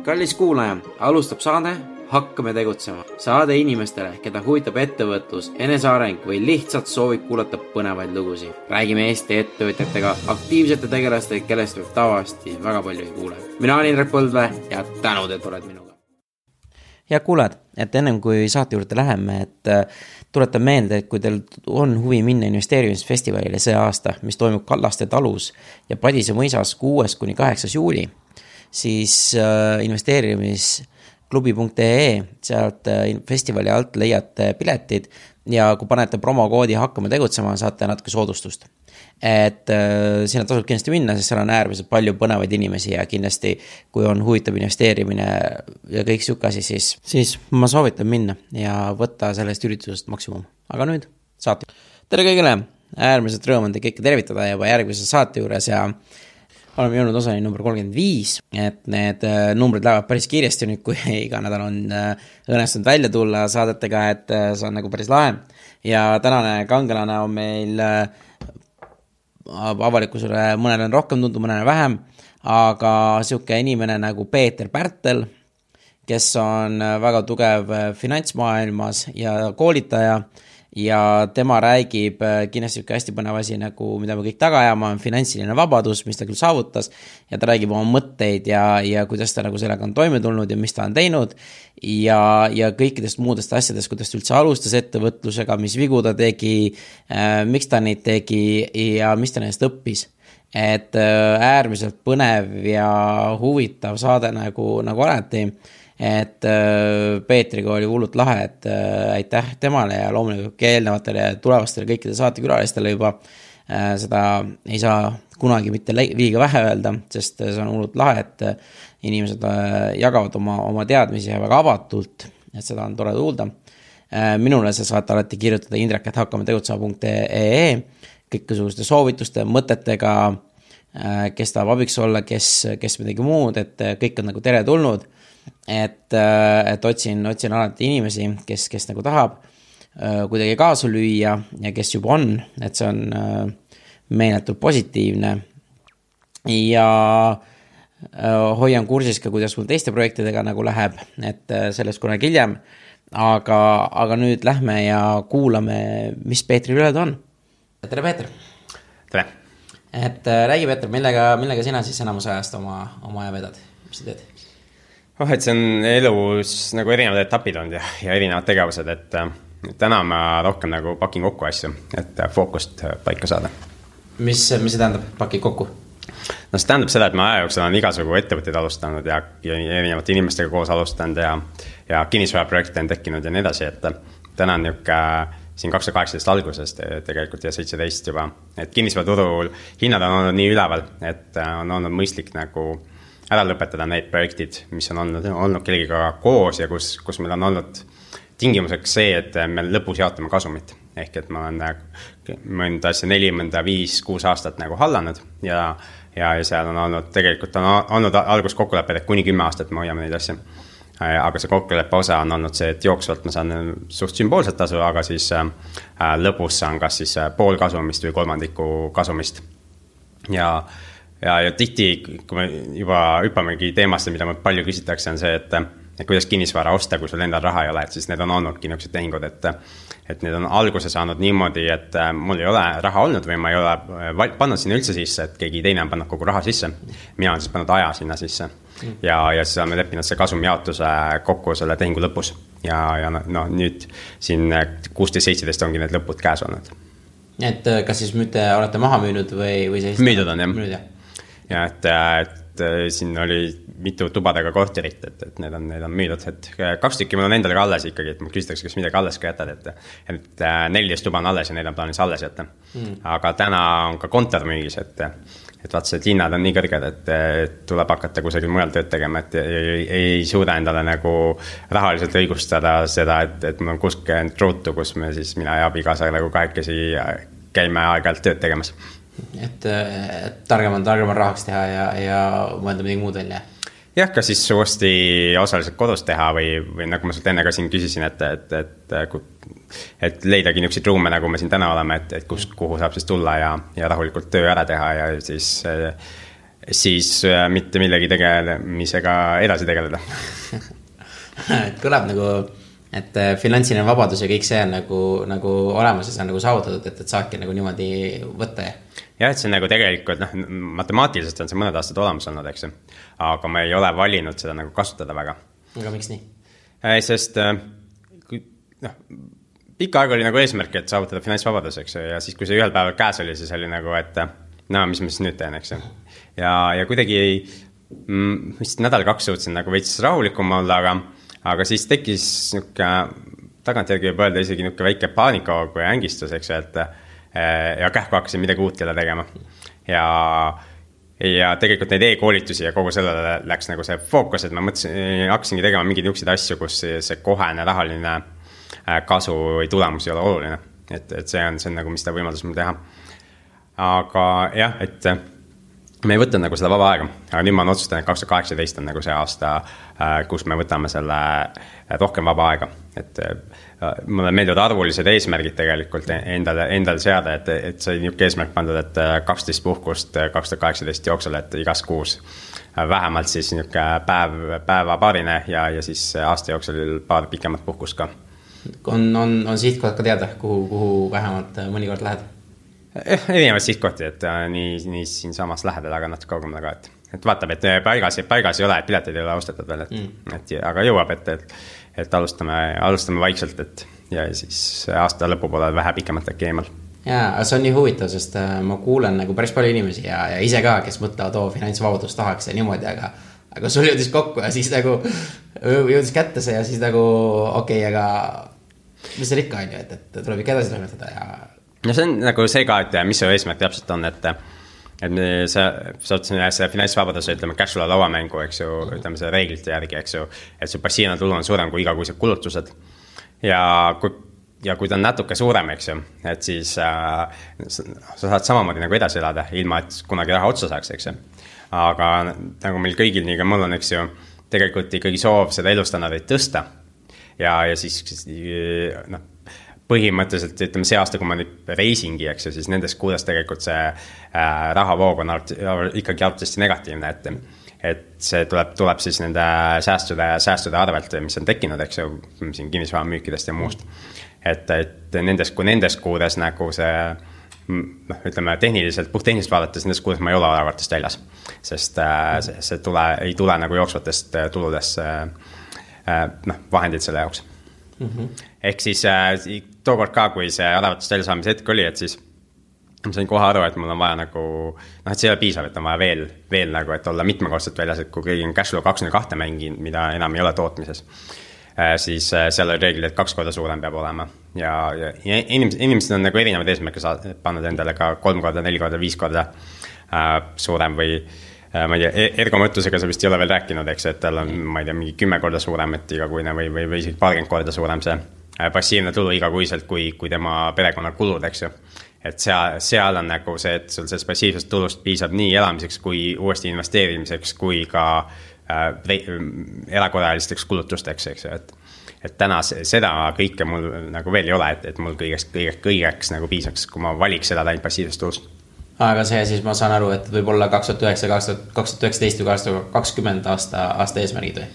Kallis kuulaja, alustab saade Hakkame tegutsema. Saade inimestele, keda huvitab ettevõtlus, eneseareng või lihtsalt soovib kuulata põnevaid lugusid. Räägime Eesti ettevõtjatega, aktiivsete tegelastega, kellest võib tavaliselt väga palju ei kuule. Mina olen Indrek Põldvee ja tänud, et oled minuga. Ja kuulad, et ennem kui saate juurde läheme, et tuletan meelde, et kui teil on huvi minna investeerimisfestivalile see aasta, mis toimub Kallaste talus ja Padise mõisas 6.–8. juuli, siis investeerimisklubi.ee, sealt festivali alt leiate piletid ja kui panete promokoodi Hakkame tegutsema, saate natuke soodustust. Et sinna tasub kindlasti minna, sest seal on äärmiselt palju põnevaid inimesi ja kindlasti, kui on huvitav investeerimine ja kõik siuke asi, siis ma soovitan minna ja võtta sellest üritusest maksimum. Aga nüüd saate. Tere kõigile, äärmiselt rõõm on te kõike tervitada juba järgmise saate juures ja oleme jõudnud osani number 35, et need numbrid lähevad päris kiiresti nüüd, kui iga nädal on õnnestunud välja tulla saadetega, et see on nagu päris lahe. Ja tänane kangelane on meil avalikkusele, mõnele on rohkem tundu, mõnele vähem, aga siuke inimene nagu Peeter Pärtel, kes on väga tugev finantsmaailmas ja koolitaja ja tema räägib kindlasti hästi põnev asi, nagu mida me kõik taga ajama, on finantsiline vabadus, mis ta küll saavutas ja ta räägib oma mõtteid ja kuidas ta nagu sellega on toime tulnud ja mis ta on teinud ja kõikidest muudest asjadest, kuidas ta üldse alustas ettevõtlusega, mis vigu ta tegi, miks ta neid tegi ja mis ta neist õppis. Et äärmiselt põnev ja huvitav saade nagu alati. Et Peetriga oli hullult lahe, et aitäh temale ja loomulikult eelnevatele tulevastele kõikide saatekülalistele juba seda ei saa kunagi mitte liiga vähe öelda, sest see on hullult lahe, et inimesed jagavad oma teadmisi väga avatult, et seda on tore kuulda. Minule sa saate alati kirjutada indrek@hakkametegutsema.ee kõiksuguste soovituste, mõtetega, kes tahab abiks olla, kes midagi muud, et kõik on nagu tere tulnud. Et otsin alati inimesi, kes nagu tahab kuidagi kaasa lüüa ja kes juba on, et see on meeletult positiivne ja hoian kursis ka, kuidas mul teiste projektidega nagu läheb, et sellest kunagi hiljem, aga nüüd lähme ja kuulame, mis Peetri üle on. Tere, Peeter! Tere! Et räägi, Peeter, millega sina siis enamus ajast oma aja vedad? Mis sa teed? Et see on elus nagu erinevad etapid on ja erinevad tegevused, et täna ma rohkem nagu pakin kokku asju, et fookust paika saada. Mis see tähendab, pakid kokku? No see tähendab seda, et ma aja jooksul olen igasugu ettevõtteid alustanud ja erinevate inimestega koos alustanud ja kinnisvaraprojekte on tekkinud ja nii edasi, et täna on siin 2018 algusest tegelikult ja 17 juba, et kinnisvaraturul hinnad on olnud nii üleval, et on olnud mõistlik nagu ära lõpetada need projektid, mis on olnud kellegiga koos ja kus meil on olnud tingimuseks see, et me lõpus jaotame kasumit. Ehk et ma olen mõnda asja 4, mõnda 5, 6 aastat nagu hallanud ja seal on olnud, tegelikult on olnud algus kokkulepped, et kuni 10 aastat me hoiame neid asja. Aga see kokkuleppe osa on olnud see, et jooksvalt ma saan suht sümboolset tasu, aga siis lõpus saan kas siis pool kasumist või kolmandiku kasumist. Ja tihti, kui me juba hüppamegi teemasse, mida me palju küsitakse, on see, et kuidas kinnisvara osta, kui sul endal raha ei ole, et siis need on olnudki niisugused tehingud, et need on alguse saanud niimoodi, et mul ei ole raha olnud või ma ei ole pannud sinna üldse sisse, et keegi teine on pannud kogu raha sisse. Mina olen siis pannud aja sinna sisse ja siis oleme leppinud see kasumjaotuse kokku selle tehingu lõpus ja nüüd siin 16-17 ongi need lõpud käes olnud. Et kas siis müüte olete maha müünud või sellist? Müüdud on, jah. Ja et siin oli mitu tubadega korterit, et need on müüdud, et 2 tükki mul on endale ka alles ikkagi, et ma küsitakse, kas midagi alles ka jätad, et 14 tuba on alles ja need on plaanis alles jätta. Aga täna on ka kontor müügis, et vaat see hinnad on nii kõrged, et tuleb hakata kusagil mujal tööd tegema, et ei suuda endale nagu rahaliselt õigustada seda, et mul on 60 ruutu, kus mina ja abikaasa nagu kahekesi käime aeg-ajalt tööd tegemas. Et targem on rahaks teha ja mõelda midagi muud välja. Jah, ka siis uuesti osaliselt kodus teha või nagu ma sult enne ka siin küsisin, et leidagi niisuguseid ruume, nagu me siin täna oleme, et kuhu saab siis tulla ja rahulikult töö ära teha ja siis siis mitte millegi tegelemisega edasi tegeleda. Kõlab nagu, et finantsiline vabadus ja kõik see on nagu olemas ja see on nagu saavutatud, et saadki nagu niimoodi võtta. Jah, et see on nagu tegelikult, matemaatiliselt on see mõned aastad olemas olnud, eks. Aga ma ei ole valinud seda nagu kasutada väga. Aga miks nii? Sest pikka aega oli nagu eesmärk, et saavutada finantsvabadus, eks. Ja siis, kui see ühel päeval käes oli, siis oli nagu, et mis ma siis nüüd teen, eks. Ja kuidagi vist nädal-2 suutsin nagu veits rahulikum olla, aga siis tekkis tagantjärgi võib öelda isegi väike paanikahoog või ängistus, eks, ja kähku hakkasin midagi uut jälle tegema. Ja tegelikult neid e-koolitusi ja kogu sellele läks nagu see fookus, et ma hakkasingi tegema mingeid niukseid asju, kus see kohene rahaline kasu või tulemus ei ole oluline. Et see on nagu, mis ta võimaldus mul teha. Aga jah, et me ei võtnud nagu seda vaba aega, aga nüüd ma olen otsustanud, et 2018 on nagu see aasta, kus me võtame selle rohkem vaba aega. Et mulle meeldivad arvulised eesmärgid tegelikult endale seada, et see niuke eesmärk pandud, et 12 puhkust 2018 jooksul, et igas kuus vähemalt siis niuke päeva paarine ja siis aasta jooksul paar pikemat puhkust ka. On sihtkohad ka teada, kuhu vähemalt mõnikord lähed? Erinevad sihtkohti, et nii siin samas lähedal, aga natuke kaugemale ka, et vaatab, et paigas ei ole, et piletid ei ole ostetud veel, aga jõuab, et alustame vaikselt, ja siis aasta lõpu poole vähe pikemat äkki eemal. Jaa, see on nii huvitav, sest ma kuulen nagu päris palju inimesi ja ise ka, kes mõtlevad, finantsvabadust tahaks ja niimoodi, aga sul jõudis kokku ja siis nagu jõudis kätte see ja siis nagu aga mis see ikka on ju, et tuleb ikka edasi toimetada ja no see on nagu see ka, et mis see eesmärk täpselt on, et sa see finantsvabadus, ütleme, cash flow lauamängu, eks ju, ütleme see reeglite järgi, eks ju, et see passiivne tulu on suurem kui igakuised kulutused. Ja kui ta on natuke suurem, eks ju, et siis sa saad samamoodi nagu edasi elada, ilma et kunagi raha otsa saaks, eks ju. Aga nagu meil kõigil, nii ka mul on, eks ju, tegelikult ikkagi soov seda elustandardit tõsta. Ja siis põhimõtteliselt, ütleme, see aasta, kui ma nüüd reisingi, eks ju, siis nendes kuudes tegelikult see rahavoog on ikkagi arvatavasti negatiivne, et see tuleb siis nende säästude arvelt, mis on tekkinud, eks ju, siin kinnisvara müükidest ja muust. Et nendes kuudes nagu see, ütleme, puhttehniliselt vaadates, nendes kuudes ma ei ole arvatavasti väljas, sest see ei tule nagu jooksvatest tuludest vahendid selle jaoks. Ehk siis tookord ka, kui see arvatust välja saamise hetk oli, et siis ma sain kohe aru, et mul on vaja nagu, et see ei ole piisav, et on vaja veel nagu, et olla mitmekordselt väljas, et kui keegi on cashflow 2 mängin, mida enam ei ole tootmises, siis seal on reeglid, et 2 korda suurem peab olema. Ja inimesed on nagu erinevad eesmärke pannud endale ka 3 korda, 4 korda, 5 korda suurem või ma ei tea, ergomõttusega sa vist ei ole veel rääkinud, eks, et tal on, ma ei tea, mingi 10 korda suurem, et igakuine või isegi 20 korda suurem see passiivne tulu igakuiselt kui tema perekonna kulud, eks ju. Et seal on nagu see, et sul sellest passiivsest tulust piisab nii elamiseks kui uuesti investeerimiseks kui ka erakorralisteks kulutusteks, eks ju, et täna seda kõike mul nagu veel ei ole, et mul kõigeks nagu piisaks, kui ma valiks seda ainult passiivsest tulust. Aga see siis ma saan aru, et võib olla 2019 või 2020 aasta eesmärgid või?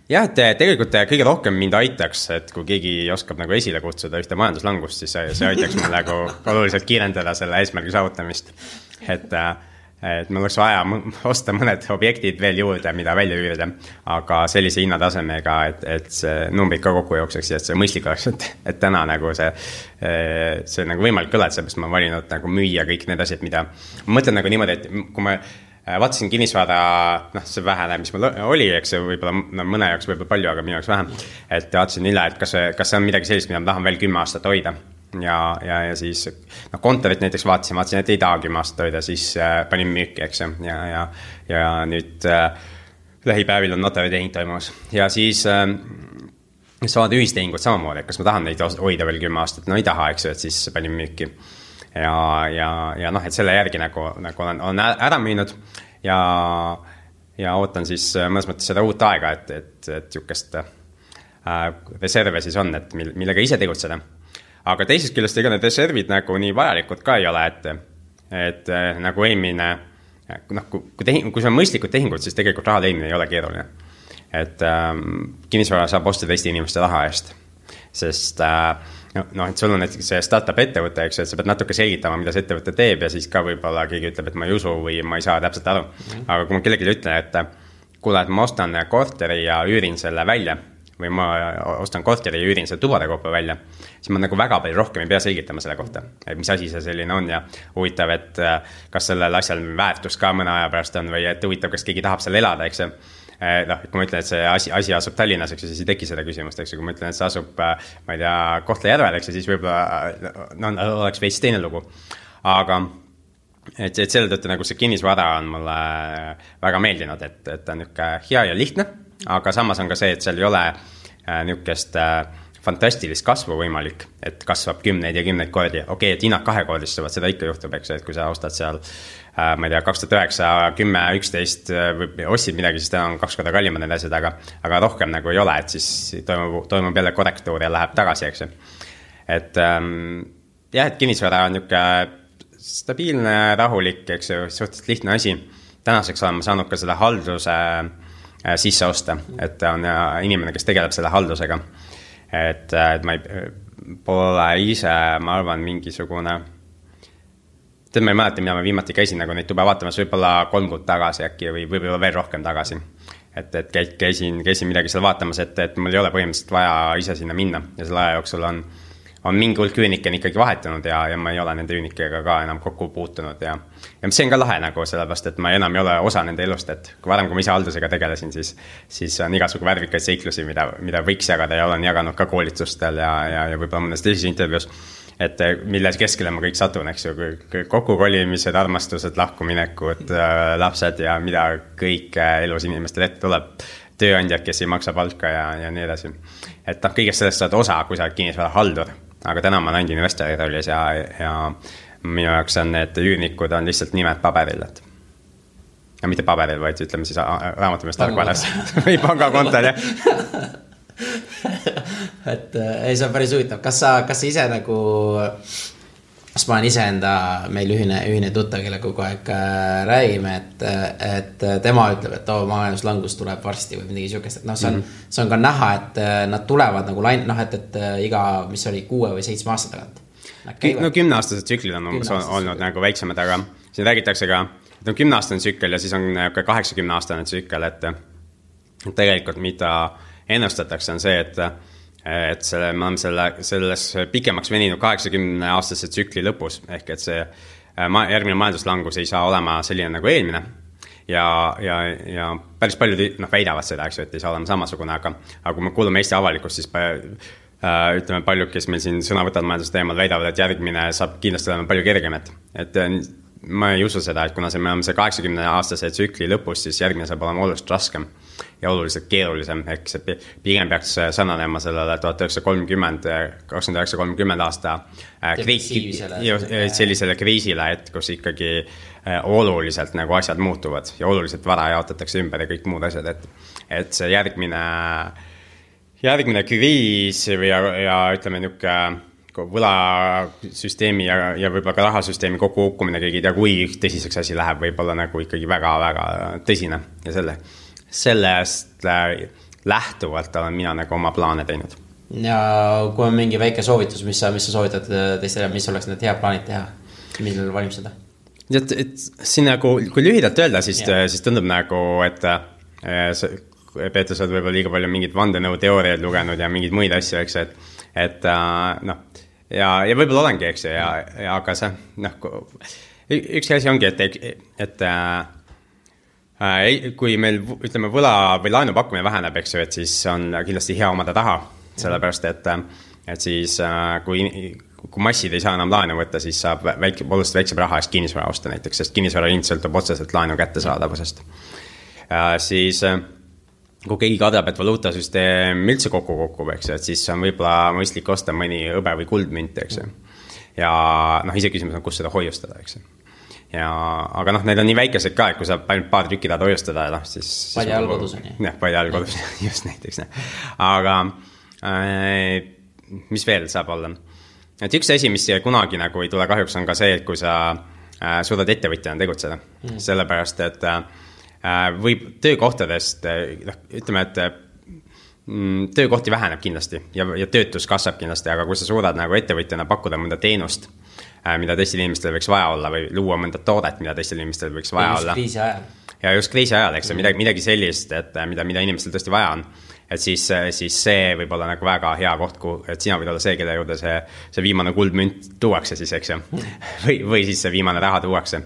Jah, et tegelikult kõige rohkem mind aitaks, et kui keegi oskab nagu esile kutsuda ühte majanduslangust, siis see aitaks mul nagu oluliselt kiirendada selle eesmärgi saavutamist. Et mul oleks vaja osta mõned objektid veel juurde, mida välja üürida, aga sellise hinnatasemega, et see numbrid ka kokku jookseks ja et see mõistlik oleks, et täna nagu see nagu võimalik kõla, et seepärast ma valinud nagu müüa kõik need asjad, mida ma mõtlen nagu niimoodi, et kui ma vaatasin kinnisvara, see vähene, mis mul oli, eks võib-olla mõne jaoks võib-olla palju, aga minu jaoks vähem, et vaatasin üle, et kas see on midagi sellist, mida ma tahan veel 10 aastat hoida. Ja siis kontorit näiteks vaatasin, et ei taha 10 aastat hoida, siis panin müüki, eks ja nüüd lähipäevil on notaritehing toimus. Ja siis saavad ühistehingud samamoodi, et kas ma tahan neid hoida veel 10 aastat, no ei taha, eks, et siis panin müüki. Ja et selle järgi nagu on ära müünud ja ootan siis mõnes mõttes seda uut aega, et jukest reserve siis on, et millega ise tegutseda. Aga teisest küljest ega need reservid nagu nii vajalikud ka ei ole, et nagu eelmine noh, kui see on mõistlikud tehingud, siis tegelikult raha teenimine ei ole keeruline. Et kinnisvara saab osta teiste inimeste raha eest, sest noh, et sul on näiteks see startup ettevõte, eks, et sa pead natuke selgitama, mida see ettevõte teeb ja siis ka võib-olla keegi ütleb, et ma ei usu või ma ei saa täpselt aru. Aga kui ma kellelegi ütlen, et kuule, et ma ostan korteri ja üürin selle välja või ma ostan korteri ja üürin selle tubadekaupa välja, siis ma nagu väga palju rohkem ei pea selgitama selle kohta, et mis asi see selline on ja huvitav, et kas sellel asjal väärtus ka mõne aja pärast on või et huvitav, kas keegi tahab seal elada, eks. Noh, kui ma ütlen, et see asi asub Tallinnas, eks, siis ei teki seda küsimust, eks, kui ma ütlen, et see asub, ma ei tea, Kohtla-Järvel, eks, siis võib-olla oleks veits teine lugu. Aga et selle tõttu nagu see kinnisvara on mulle väga meeldinud, et ta on niisugune hea ja lihtne, aga samas on ka see, et seal ei ole niisugust fantastilist kasvu võimalik, et kasvab 10 ja 10 kordi. Okei, et hinnad kahekordistuvad, seda ikka juhtub, eks, et kui sa ostad seal, ma ei tea, 2009, 10, 11 või ostsid midagi, siis ta on 2 korda kallimad need asjad, aga rohkem nagu ei ole, et siis toimub jälle korrektuur ja läheb tagasi, eks. Et jah, et kinnisvara on niisugune stabiilne, rahulik, eks, suhteliselt lihtne asi. Tänaseks olen ma saanud ka selle halduse sisse osta, et on inimene, kes tegeleb selle haldusega. Et ma pole ise, ma arvan, mingisugune, ma ei mäleta, mida ma viimati käisin nagu neid tube vaatamas, võib-olla 3 kuud tagasi äkki või võib-olla veel rohkem tagasi. Et käisin midagi seal vaatamas, et mul ei ole põhimõtteliselt vaja ise sinna minna ja selle aja jooksul on mingi hulk üünike ikkagi vahetunud ja ma ei ole nende üünikega ka enam kokku puutunud ja see on ka lahe nagu sellepärast, et ma enam ei ole osa nende elust, et varem, kui ma ise haldusega tegelesin, siis on igasugu värvikaid seiklusi, mida võiks jagada ja olen jaganud ka koolitustel ja võib-olla mõnes teises intervjuus, et milles keskele ma kõik satun, eks ju, kokkukolimised, armastused, lahkuminekud, lapsed ja mida kõik elus inimestel ette tuleb, tööandjad, kes ei maksa palka ja nii edasi. Et kõigest sellest saad osa, kui sa oled kinnisvara haldur, aga täna ma olen investori rollis ja minu jaoks on need üürnikud on lihtsalt nimed paberil, et ja mitte paberil, vaid ütleme siis raamatumees tarkvaras või pangakontol, jah. Et ei, see on päris huvitav. Kas sa ise nagu, kas ma olen ise enda meil ühine tuttav, kelle kogu aeg räägime, et tema ütleb, et majanduslangus tuleb varsti või midagi siukest, et see on ka näha, et nad tulevad nagu et iga, mis oli 6 või 7 aasta tagant. No 10-aastased tsüklid on olnud nagu väiksemad, aga siin räägitakse ka, et on 10-aastane tsükkel ja siis on 80-aastane tsükkel, et tegelikult mida ennustatakse on see, et me oleme selles pikemaks veninud 80-aastase tsükli lõpus, ehk et see järgmine majanduslangus ei saa olema selline nagu eelmine ja päris paljud väidavad seda, eks ju, et ei saa olema samasugune, aga kui me kuulume Eesti avalikust, siis ütleme paljud, kes meil siin sõna võtavad majandusteemal, väidavad, et järgmine saab kindlasti olema palju kergem, et ma ei usu seda, et kuna me oleme see 80-aastase tsükli lõpus, siis järgmine saab olema oluliselt raskem ja oluliselt keerulisem, ehk see pigem peaks sarnanema sellele 1930 aasta sellisele kriisile, et kus ikkagi oluliselt nagu asjad muutuvad ja oluliselt vara jaotatakse ümber ja kõik muud asjad, et see järgmine kriis ja ütleme niisugune võlasüsteemi ja võib-olla ka rahasüsteemi kokku hukkumine, keegi ei tea, kui tõsiseks asi läheb, võib-olla nagu ikkagi väga-väga tõsine ja sellest lähtuvalt olen mina nagu oma plaane teinud. Ja kui on mingi väike soovitus, mis sa soovitad teistele, mis oleks need head plaanid teha, millel valmistada? Et siin nagu, kui lühidalt öelda, siis tundub nagu, et Peeter, sa oled võib-olla liiga palju mingid vandenõuteooriaid lugenud ja mingid muid asju, eks, et noh, ja võib-olla olengi, eks, aga see, noh, üks asi ongi, et kui meil, ütleme, võla või laenu pakkumine väheneb, eks ju, et siis on kindlasti hea omada taha, sellepärast, et siis kui massid ei saa enam laenu võtta, siis saab oluliselt väiksem raha eest kinnisvara osta näiteks, sest kinnisvara hind sõltub otseselt laenu kättesaadavusest. Siis kui keegi kardab, et valuutasüsteem üldse kokku, eks, et siis on võib-olla mõistlik osta mõni hõbe või kuldmünt, eks. Ja ise küsimus on, kus seda hoiustada, eks. Aga need on nii väikesed ka, et kui sa ainult paar tükki tahad hoiustada, siis Padja all kodus on. Jah, Padja all kodus, just näiteks. Aga mis veel saab olla? Et üks asi, mis kunagi nagu ei tule kahjuks, on ka see, et kui sa suudad ettevõtjana tegutseda. Sellepärast, et võib töökohtadest, ütleme, et töökohti väheneb kindlasti ja töötus kasvab kindlasti, aga kui sa suudad nagu ettevõtjana pakkuda mõnda teenust, mida teistel inimestel võiks vaja olla või luua mõnda toodet, mida teistel inimestel võiks vaja olla. Kriisi ajal. Ja just kriisi ajal, eks midagi sellist, et mida inimestel tõesti vaja on. Et siis see võib olla nagu väga hea koht, et sina võid olla see, kelle juurde see viimane kuldmünt tuuakse siis, eks ju. Või siis see viimane raha tuuakse.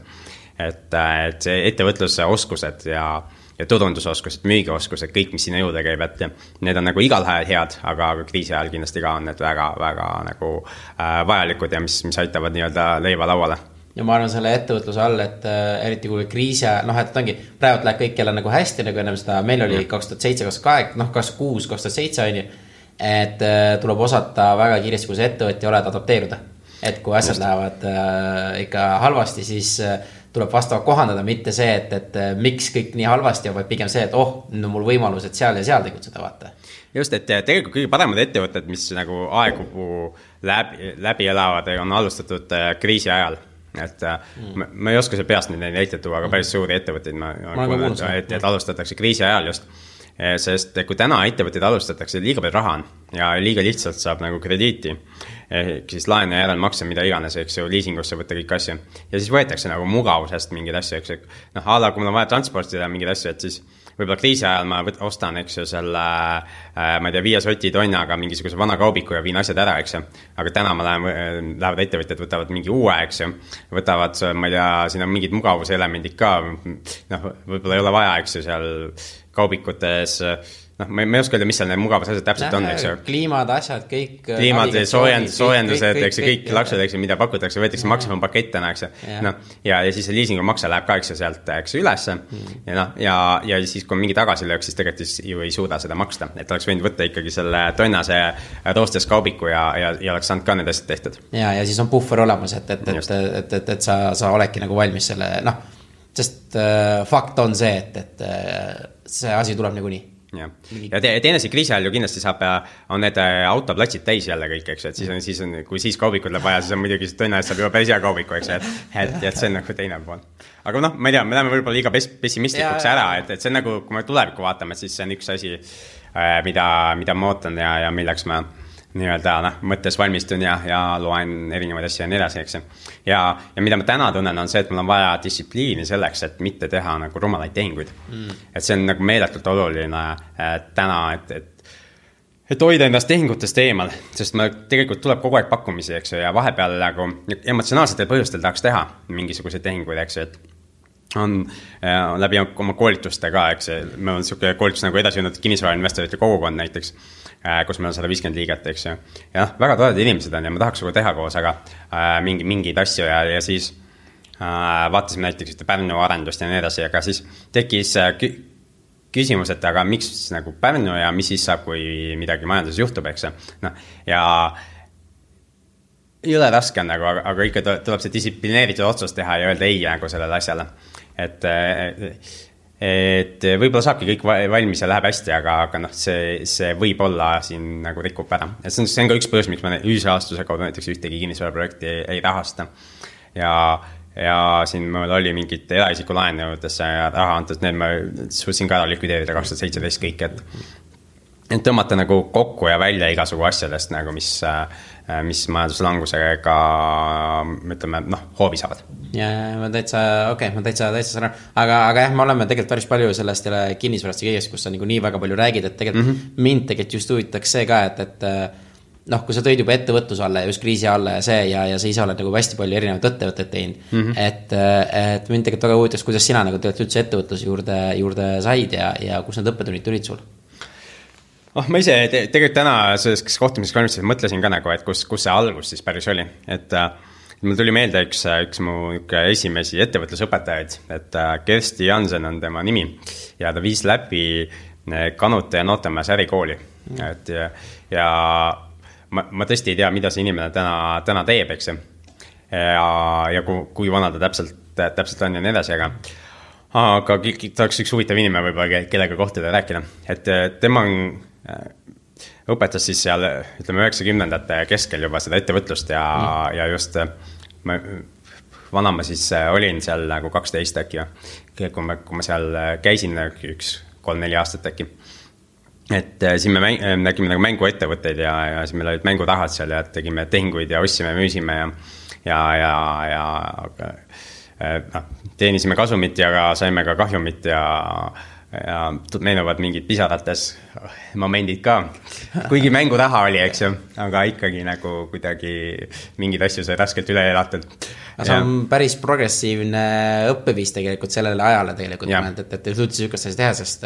Et see ettevõtluse oskused ja turundusoskused, müügioskused, kõik, mis sinna juurde käib, et need on nagu igal ajal head, aga kriisi ajal kindlasti ka on need väga nagu vajalikud ja mis aitavad nii-öelda leiva lauale. Ja ma arvan selle ettevõtluse all, et eriti kui kriisi ajal, et ongi, praegu läheb kõik jälle nagu hästi, nagu ennem seda, meil oli 2007, 2008, 2006, 2007 on ju, et tuleb osata väga kiiresti, kui see ettevõtja oled adapteeruda. Et kui asjad lähevad ikka halvasti, siis tuleb vastavalt kohandada, mitte see, et miks kõik nii halvasti on, vaid pigem see, et nüüd on mul võimalus, et seal ja seal tegutseda, vaata. Just, et tegelikult kõige paremad ettevõtted, mis nagu aegu läbi elavad, on alustatud kriisi ajal. Et ma ei oska see peast neid näiteid tuua, aga päris suuri ettevõtteid et alustatakse kriisi ajal just. Sest kui täna ettevõtteid alustatakse, liiga palju raha on ja liiga lihtsalt saab nagu krediiti, siis laen ja järelmakse, mida iganes, eks ju, liisingusse võtta kõik asju. Ja siis võetakse nagu mugavusest mingid asju, eks ju. Ala, kui mul on vaja transportida mingid asju, et siis võib-olla kriisi ajal ma ostan, eks ju, selle, ma ei tea, 5 soti tonnaga mingisuguse vana kaubiku ja viin asjad ära, eks ju. Aga täna lähevad ettevõtjad, võtavad mingi uue, eks ju. Võtavad, ma ei tea, siin on mingid mugavuselemendid ka, võib-olla ei ole vaja, eks ju, seal kaubikutes, ma ei oska öelda, mis seal need mugavusasjad täpselt on, eks ju. Kliimad, asjad, kõik. Kliimad, soojendused, eks ju, kõik laksud, eks ju, mida pakutakse, võetakse maksimumpakettena, eks ju. Ja siis see liisingu makse läheb ka, eks ju, sealt, eks ju, ülesse. Ja siis, kui mingi tagasilöök, siis tegelikult ju ei suuda seda maksta. Et oleks võinud võtta ikkagi selle tonnase roostes kaubiku ja oleks saanud ka need asjad tehtud. Ja siis on puffer olemas, et sa oledki nagu valmis selle, sest fakt on see, et see asi tuleb nagu nii. Ja teine see kriisi ajal ju kindlasti on need autoplatsid täis jälle kõik, eks, et kui siis kaubikud läheb vaja, siis on muidugi tonna eest saab juba päris hea kaubiku, eks, et see on nagu teine pool. Aga ma ei tea, me läheme võib-olla liiga pessimistlikuks ära, et see on nagu, kui me tulevikku vaatame, siis see on üks asi, mida ma ootan ja milleks ma nii-öelda mõttes valmistun ja loen erinevaid asju ja nii edasi, eks. Ja mida ma täna tunnen on see, et mul on vaja distsipliini selleks, et mitte teha nagu rumalaid tehinguid. Et see on nagu meeletult oluline täna, et hoida ennast tehingutest eemal, sest ma tegelikult tuleb kogu aeg pakkumisi, eks, ja vahepeal nagu emotsionaalsetel põhjustel tahaks teha mingisuguseid tehinguid, eks, et on läbi oma koolitustega, eks, meil on selline koolitus nagu edasinud kinnisvarainvestorite kogukond näiteks, kus meil on 150 liiget, eks ju. Ja väga toredad inimesed on ja ma tahaks teha koos, aga mingid asju ja siis vaatasime näiteks Pärnu arendust ja nii edasi, aga siis tekkis küsimus, et aga miks nagu Pärnu ja mis siis saab, kui midagi majanduses juhtub, eks. Ja ei ole raske nagu, aga ikka tuleb see distsiplineeritud otsus teha ja öelda ei nagu sellele asjale. Et võib-olla saabki kõik valmis ja läheb hästi, aga see võib olla siin nagu rikub ära. Et see on ka üks põhjus, miks ma ühisrahastuse kaudu näiteks ühtegi kinnisvaraprojekti ei rahasta. Ja siin meil oli mingid eraisiku laenudesse raha antud, need ma suutsin ka ära likvideerida 2017 kõik, et tõmmata nagu kokku ja välja igasugu asjadest, nagu mis majanduslangusega, ütleme, hoovi saavad. Ja ma täitsa saran. Aga jah, me oleme tegelikult päris palju sellest kinnisvarast ja kõigest, kus sa nii väga palju räägid, et tegelikult mind tegelikult just huvitaks see ka, et kui sa tõid juba ettevõtluse alla ja just kriisi alla ja sa ise oled nagu hästi palju erinevat ettevõtteid teinud, et mind tegelikult väga huvitaks, kuidas sina nagu tegelikult üldse ettevõtluse juurde said ja kus need õppetunnid tulid sul? Ma ise tegelikult täna selles kohtumises valmistuses mõtlesin ka nagu, et kus see algus siis päris oli, et mul tuli meelde üks mu esimesi ettevõtlusõpetajaid, et Kersti Jansen on tema nimi ja ta viis läbi Kanute ja Nootemäes ärikooli, et ja ma tõesti ei tea, mida see inimene täna teeb, eks ja kui vana ta täpselt on ja nii edasi, aga ta oleks üks huvitav inimene võib-olla, kellega kohtuda ja rääkida, et tema õpetas siis seal, ütleme, 90ndate keskel juba seda ettevõtlust ja just vana ma siis olin seal nagu 12 äkki, kui ma seal käisin 1-3-4 aastat äkki. Et siin me nägime nagu mänguettevõtteid ja siis meil olid mängutahad seal ja tegime tehinguid ja ostsime, müüsime ja teenisime kasumit ja saime ka kahjumit ja meenuvad mingid pisarates momendid ka. Kuigi mängutaha oli, eks ju, aga ikkagi nagu kuidagi mingid asju sai raskelt üle elatud. See on päris progressiivne õppeviis tegelikult sellele ajale tegelikult, et suutis sükast asja teha, sest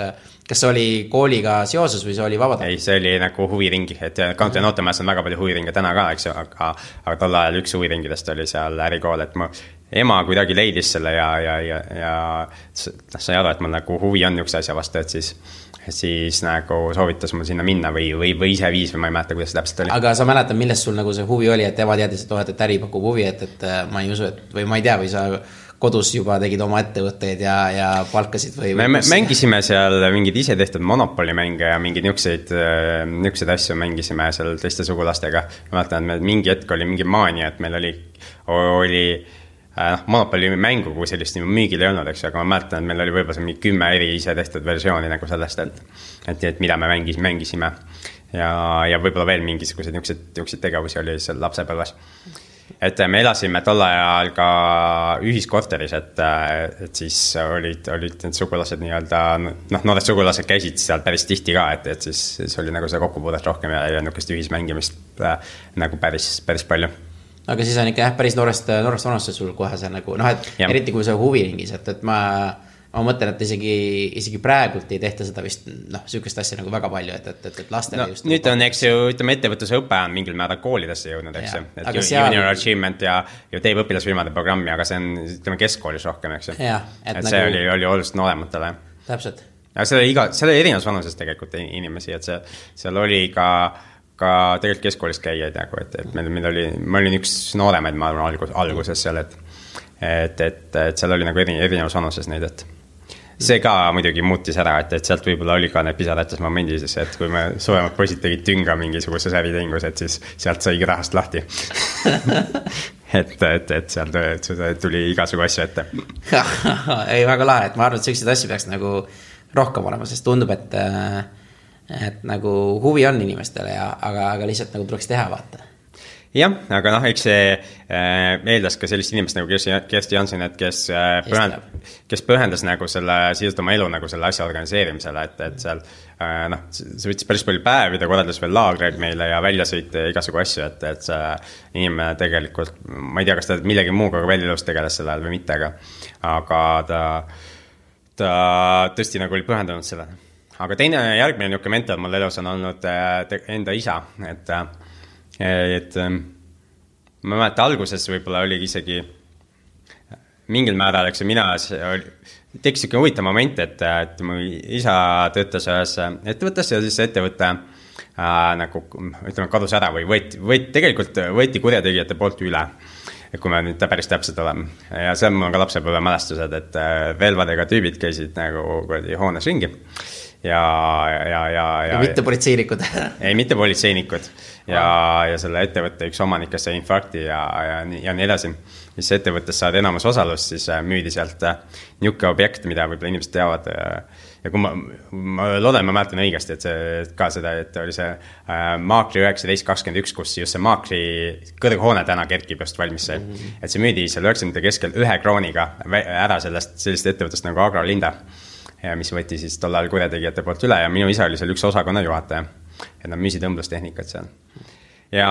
kas see oli kooliga seoses või see oli vabatahtlik? Ei, see oli nagu huviringi, et Country Nootemajas on väga palju huviringe täna ka, eks ju, aga tol ajal üks huviringidest oli seal ärikool, et mu ema kuidagi leidis selle ja sai aru, et mul nagu huvi on üks asja vastu, et siis nagu soovitas mul sinna minna või ise viis või ma ei mäleta, kuidas see täpselt oli. Aga sa mäletad, millest sul nagu see huvi oli, et ema teadis, et äri pakub huvi, et ma ei usu, või ma ei tea, või sa kodus juba tegid oma ettevõtteid ja palkasid või me mängisime seal mingid ise tehtud Monopoly-mänge ja mingid niukseid asju mängisime seal teiste sugulastega. Ma mäletan, et mingi hetk oli mingi maania, et meil oli Monopoly mängu, kui sellist müügil ei olnud, eks, aga ma mäletan, et meil oli võib-olla mingi 10 eri ise tehtud versiooni nagu sellest, et mida me mängisime ja võib-olla veel mingisugused niukseid tegevusi oli seal lapsepõlves. Et me elasime tol ajal ka ühiskorteris, et siis olid need sugulased nii-öelda, noored sugulased käisid seal päris tihti ka, et siis oli nagu see kokkupuudet rohkem ja niukest ühismängimist nagu päris palju. Aga siis on ikka päris noorest vanust sul kohe see nagu, et eriti kui see huviringis, et ma mõtlen, et isegi praegult ei tehta seda vist, sükest asja nagu väga palju, et lastele just. Nüüd on, eks ju, ütleme, ettevõtluse õpe on mingil määral koolidesse jõudnud, eks ju. Et Junior Achievement ja teeb õpilasfirmade programmi, aga see on, ütleme, keskkoolis rohkem, eks ju. Et see oli oluliselt noorematele. Täpselt. Aga see oli erinevas vanuses tegelikult inimesi, et seal oli ka tegelikult keskkoolist käijaid, et ma olin üks nooremaid, ma arvan, alguses seal, et seal oli nagu erinevas vanuses neid, et see ka muidugi muutis ära, et sealt võib-olla oli ka need pisarates momendis, et kui me suuremad poisid tegid tünga mingisuguses äritehingus, et siis sealt saigi rahast lahti. et sealt tuli igasugu asju ette. Ei, väga lahe, et ma arvan, et selliseid asju peaks nagu rohkem olema, sest tundub, et nagu huvi on inimestele, aga lihtsalt nagu tuleks teha, vaata. Jah, aga eks see eeldas ka sellist inimest nagu Kersti Jansen, et kes pühendas nagu siiselt oma elu nagu selle asja organiseerimisele, et seal see võttis päris palju päevi, ta korraldas veel laagreid meile ja väljasõite igasugu asju, et see inimene tegelikult, ma ei tea, kas ta millegi muuga veel elus tegeles selle ajal või mitte, aga ta tõesti nagu oli pühendanud selle. Aga järgmine niuke mentor mul elus on olnud enda isa, et ma mäletan, alguses võib-olla oli isegi mingil määral, eks mina tekkis siuke huvitav moment, et mu isa töötas ühes ettevõttes ja siis ettevõte nagu, ütleme, kadus ära või võeti kurjategijate poolt üle, kui me nüüd päris täpselt oleme. Ja seal mul on ka lapsepõlve mälestused, et relvadega tüübid käisid nagu hoones ringi. Ja mitte politseinikud. Ei, mitte politseinikud. Ja selle ettevõtte üks omanikest sai infarkti ja nii edasi. Siis ettevõttes saad enamus osalust, siis müüdi sealt niuke objekt, mida võib-olla inimesed teavad. Ja kui ma loodan, ma mäletan õigesti, et ka seda, et oli see Maakri 1921, kus just see Maakri kõrghoone täna kerkib just valmis see. Et see müüdi seal 90 keskel 1 krooniga ära sellist ettevõttest nagu Agrolinda. Ja mis võeti siis tol ajal kurjategijate poolt üle ja minu isa oli seal üks osakonna juhataja. Et nad müüsid õmblustehnikat seal. Ja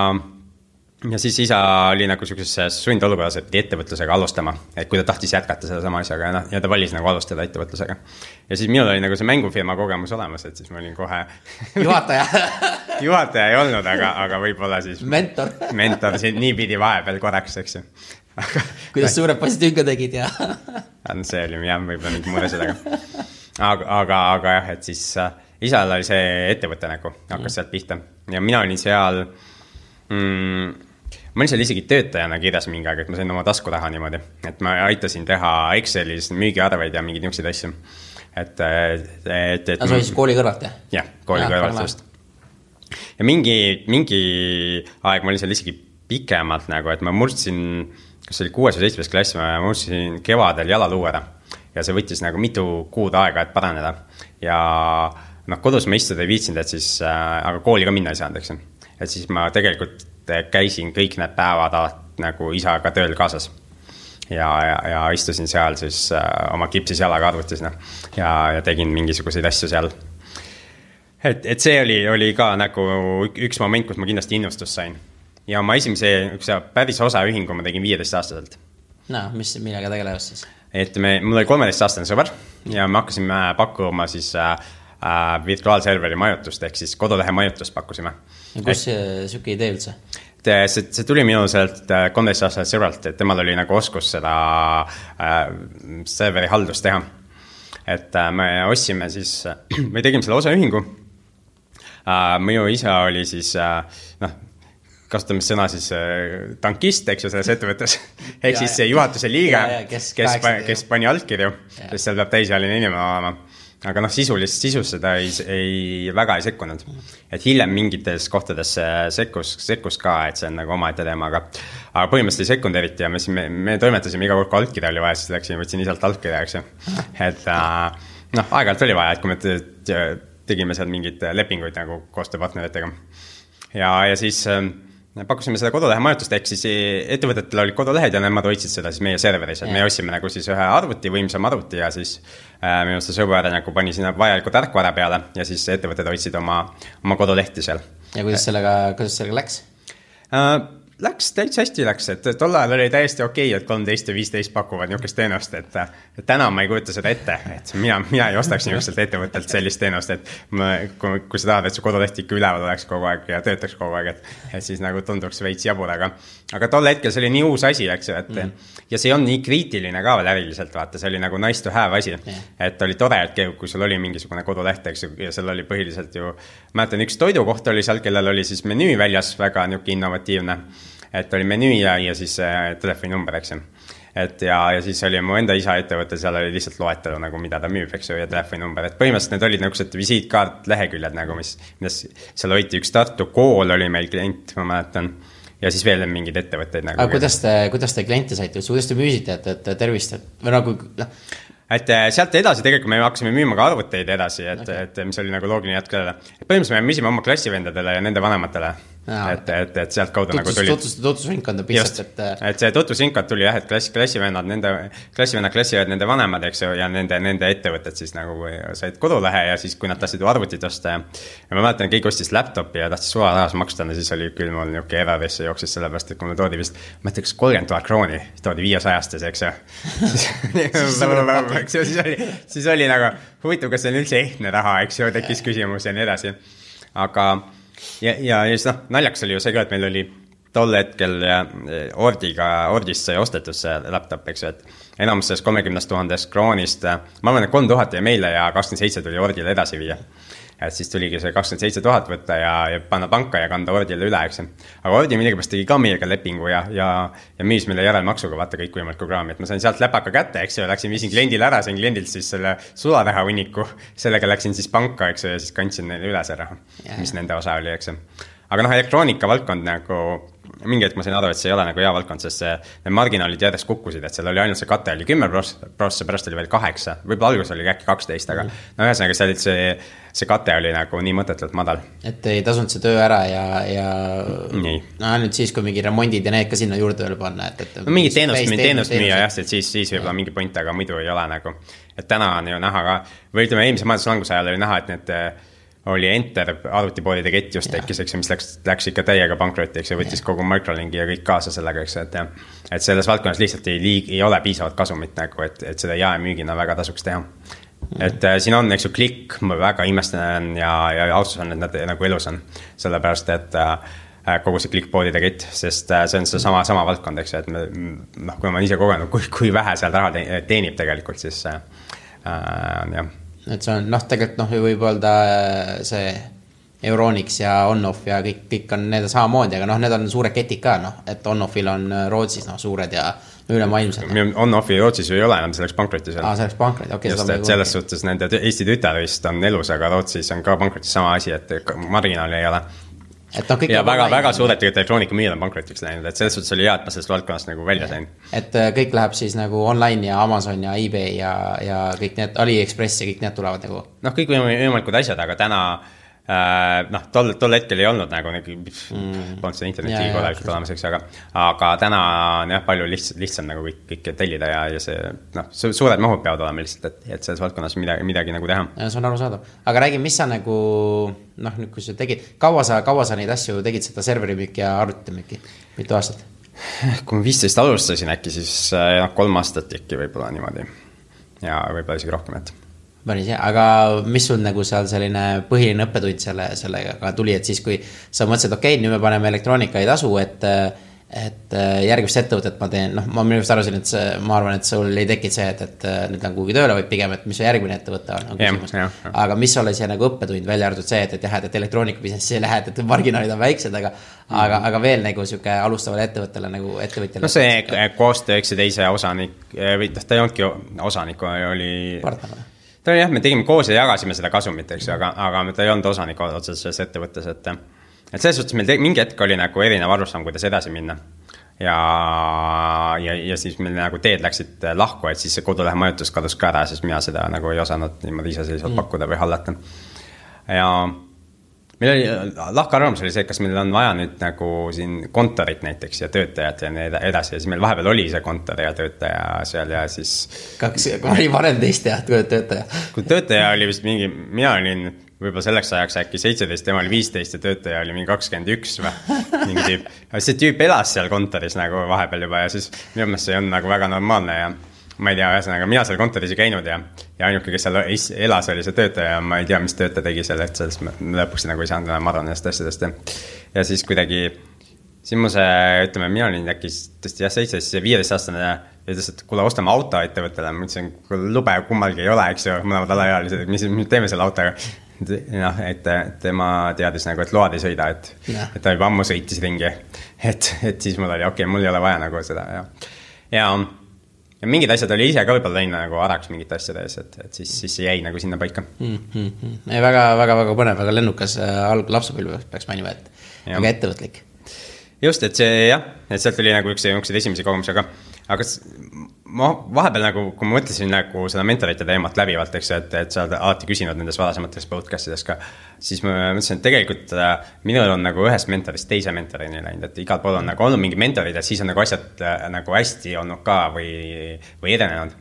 siis isa oli nagu sellises sundolukorras, et ettevõtlusega alustama, et kui ta tahtis jätkata seda sama asjaga ja ta valis nagu alustada ettevõtlusega. Ja siis minul oli nagu see mängufirma kogemus olemas, et siis ma olin kohe Juhataja ei olnud, aga võib-olla siis mentor siin nii pidi vahepeal korraks, eks ju. Kuidas suured poisid tünga tegid ja see oli võib-olla mingi muud asjad, aga jah, et siis isal oli see ettevõte nagu, hakkas sealt pihta ja mina olin seal ma olin seal isegi töötajana kirjas mingi aeg, et ma sain oma taskuraha niimoodi, et ma aitasin teha Excelis müügiarveid ja mingeid niukseid asju. Sa olid siis kooli kõrvalt, jah? Jah, kooli kõrvalt just. Ja mingi aeg ma olin seal isegi pikemalt nagu, et ma murdsin kas oli 6. või 7. klass, ma muutusin kevadel jalaluu ära ja see võttis nagu mitu kuud aega, et paraneda ja noh, kodus ma istuda ei viitsinud, et siis, aga kooli ka minna ei saanud, eks. Et siis ma tegelikult käisin kõik need päevad nagu isaga tööl kaasas ja istusin seal siis oma kipsis jalaga arvutis ja tegin mingisuguseid asju seal. Et see oli ka nagu üks moment, kus ma kindlasti innustust sain. Ja oma esimese päris osaühingu ma tegin 15-aastaselt. No, millega tegelevas siis? Et mul oli 13-aastane sõber ja me hakkasime pakkuma siis virtuaalserveri majutust ehk siis kodulehe majutust pakkusime. Ja kus süke idee üldse? See tuli minu sealt 13-aastaselt sõbralt, et temal oli nagu oskus seda serveri haldust teha. Et me ostsime siis, me tegime selle osaühingu. Minu isa oli siis, kasutame sõna siis tankist, eks ju, selles ettevõttes. Ehk siis see juhatuse liige, kes pani altkirju, sest seal peab täisealine inimene olema. Aga sisus seda väga ei sekkunud. Et hiljem mingites kohtades sekkus ka, et see on nagu oma ette teema, aga põhimõtteliselt ei sekkunud eriti ja me toimetasime iga kord, kui altkirja oli vaja, siis läksin, võtsin isalt altkirja, eks ju. Et aeg-ajalt oli vaja, et kui me tegime seal mingid lepinguid nagu koostööpartneritega. Ja siis pakkusime seda kodulehe majutust, ehk siis ettevõtetel olid kodulehed ja nemad hoidsid seda siis meie serveris, et me ostsime nagu siis ühe arvuti, võimsam arvuti ja siis minu see sõber nagu pani sinna vajaliku tarkvara peale ja siis ettevõtted hoidsid oma kodulehti seal. Ja kuidas sellega läks? Läks, täitsa hästi läks, et tol ajal oli täiesti okei, et 13 ja 15 pakuvad niisugust teenust, et täna ma ei kujuta seda ette, et mina ei ostaks niisugust ettevõttelt sellist teenust, et kui sa tahad, et su koduleht ikka üleval oleks kogu aeg ja töötaks kogu aeg, et siis nagu tunduks veits jabur, aga tol hetkel see oli nii uus asi, eks ju, ja see on nii kriitiline ka veel äriliselt, vaata, see oli nagu nice to have asi, et oli tore, et kui sul oli mingisugune koduleht, eks ju, ja seal oli põhiliselt ju, mäletan, üks toidukoht oli seal, kellel oli siis menüü väljas, väga niuke innovatiivne, et oli menüü ja siis telefoninumber, eks ju. Et ja siis oli mu enda isa ettevõte, seal oli lihtsalt loetelu nagu mida ta müüb, eks ju, ja telefoninumber, et põhimõtteliselt need olid niisugused visiitkaart leheküljed nagu, mis seal hoiti üks Tartu kool oli meil klient, ma mäletan, ja siis veel mingid ettevõtteid nagu. Aga kuidas te kliente saite, kuidas te müüsite, et tervist, või nagu et sealt edasi tegelikult me hakkasime müüma ka arvuteid edasi, et mis oli nagu loogiline jätk sellele. Põhimõtteliselt me müüsime oma klassivendadele ja nende vanematele, et sealt kaudu nagu tuli. Tutvusringkonda pistat, et see tutvusringkond tuli jah, et klassivennad, nende vanemad, eks ju, ja nende ettevõtted siis nagu said kodulehe ja siis, kui nad tahtsid arvutit osta ja ma mäletan, keegi ostis laptopi ja tahtis sularahas maksta, siis oli küll mul niuke erarisse jooksis sellepärast, et kui mul toodi vist, ma mõtleks 30 000 krooni, toodi 500-stes, eks ju. Siis oli nagu huvitav, kas see on üldse ehtne raha, eks ju, tekkis küsimus ja nii edasi. Aga ja siis naljakas oli ju see ka, et meil oli tol hetkel Ordist sai ostetud see laptop, eks ju, et enamus sellest 30 000 kroonist, ma arvan, et 3000 ja meile ja 27 tuli Ordile edasi viia. Et siis tuligi see 27 000 võtta ja panna panka ja kanda Ordile üle, eks. Aga Ordi millegipärast tegi ka meiega lepingu ja müüs meile järelmaksuga, vaata kõik võimalik programmi, et ma sain sealt läpaka kätte, eks ju, viisin kliendile ära, sain kliendilt siis selle sularaha hunniku, sellega läksin siis panka, eks ju, ja siis kandsin neile üle see raha, mis nende osa oli, eks ju. Aga elektroonika valdkond nagu, mingi hetk ma sain aru, et see ei ole nagu hea valdkond, sest need marginaalid järjest kukkusid, et seal oli ainult see kate oli 10%, pärast oli veel 8%, võib-olla algus oli äkki 12%, aga ühesõnaga see kate oli nagu nii mõtetult madal. Et ei tasunud see töö ära ja nüüd siis, kui mingi remondid ja need ka sinna juurde veel panna. Mingi teenust müüa, jah, et siis võib-olla mingi point, aga muidu ei ole nagu. Et täna on ju näha ka, või ütleme, eelmise majanduslanguse ajal oli näha, et need oli Enter arvutipoodide kett just tekkis, eks, mis läks ikka täiega pankrotti, eks, ja võttis kogu Microlinki ja kõik kaasa sellega, eks, et selles valdkonnas lihtsalt ei ole piisavat kasumit nagu, et seda jaemüügina väga tasuks teha. Et siin on, eks ju, klikk, ma väga imestan ja austus on, et nad nagu elus on, sellepärast, et kogu see klikkpoodide kett, sest see on see sama valdkond, eks, et kui ma ise kogenud, kui vähe seal raha teenib tegelikult, siis jah. Et see on, tegelikult võib öelda see Euronics ja Onoff ja kõik on need samamoodi, aga need on suured ketid ka, et Onoffil on Rootsis suured ja ülemaailmselt. Onoffi Rootsis ju ei ole enam, selleks pankrotis. Selleks pankrotis, okei. Just, et selles suhtes nende Eesti tütar vist on elus, aga Rootsis on ka pankrotis sama asi, et marginaali ei ole. et no kõik ja väga suured elektroonikamüüjad on pankrotiks läinud, et selles suhtes oli hea, et ma sellest valdkonnast nagu välja sain. Et kõik läheb siis nagu online ja Amazon ja eBay ja kõik need AliExpress ja kõik need tulevad nagu. Noh, kõik võimalikud asjad, aga täna tol hetkel ei olnud nagu polnud seda interneti kodalikult olemas, eks, aga täna on jah, palju lihtsam nagu kõik tellida ja see suured mahud peavad olema lihtsalt, et selles valdkonnas midagi nagu teha. Ja see on arusaadav. Aga räägi, mis sa nagu, nüüd kui sa tegid, kaua sa neid asju tegid, seda serverimüüki ja arvutimüüki? Mitu aastat? Kui ma 15 alustasin äkki, siis 3 aastat äkki võib-olla niimoodi ja võib-olla isegi rohkem, et Päris hea, aga mis sul nagu seal selline põhiline õppetund sellega tuli, et siis kui sa mõtlesid, okei, nüüd me paneme elektroonika ei tasu, et järgmist ettevõtet ma teen, ma minu arust arvasin, et ma arvan, et sul ei tekid see, et nüüd on kuhugi tööle, vaid pigem, et mis su järgmine ettevõte on küsimus. Aga mis oli see nagu õppetund välja arvatud see, et elektroonika businessi lähed, et marginaalid on väiksed, aga veel nagu siuke alustavale ettevõttele nagu ettevõtjale. No see koostöö, eks see teise osanik, või ta ei olnudki osanik, oli partner. Ta oli jah, me tegime koos ja jagasime seda kasumit, eks, aga ta ei olnud osanik otseses ettevõttes, et selles suhtes meil mingi hetk oli nagu erinev arusaam, kuidas edasi minna. Ja siis meil nagu teed läksid lahku, et siis see kodulehe majutus kadus ka ära, sest mina seda nagu ei osanud niimoodi iseseisvalt pakkuda või hallata. Ja meil oli, lahkarvamus oli see, kas meil on vaja nüüd nagu siin kontorit näiteks ja töötajat ja nii edasi. Ja siis meil vahepeal oli see kontor ja töötaja seal ja siis... oli varem teist jah, kui töötaja? Kui töötaja oli vist mingi, mina olin võib-olla selleks ajaks äkki 17, tema oli 15 ja töötaja oli mingi 21 või mingi tüüp. See tüüp elas seal kontoris nagu vahepeal juba ja siis minu meelest see on nagu väga normaalne ja ma ei tea, ühesõnaga, mina seal kontoris ei käinud ja ainuke, kes seal elas, oli see töötaja ja ma ei tea, mis töötaja tegi selle, et sellest lõpuks nagu ei saanud enam aru nendest asjadest. Ja siis kuidagi, siin mu see, ütleme, mina olin äkki tõesti 17-15-aastane ja ütles, et kuule, ostame auto ettevõttele. Ma ütlesin, kui lube kummalgi ei ole, eks ju, mõlemad alaealised, mis teeme selle autoga? Et tema teadis nagu, et load ei sõida, et ta juba ammu sõitis ringi. Et siis mul oli, okei, mul ei ole vaja nagu seda. Ja mingid asjad oli ise ka võib-olla läinud nagu araks mingit asjades, et siis see jäi nagu sinna paika. Väga põnev, väga lennukas lapsepõlve peaks mainima, et väga ettevõtlik. Just, et see jah, et sealt oli nagu üks esimesi kogemusi, aga ma vahepeal nagu, kui ma mõtlesin nagu seda mentorite teemat läbivalt, eks, et sa oled alati küsinud nendes varasemates podcastides ka, siis ma mõtlesin, et tegelikult minul on nagu ühest mentorist teise mentorini läinud, et igal pool on nagu olnud mingi mentorid ja siis on nagu asjad nagu hästi olnud ka või edenenud.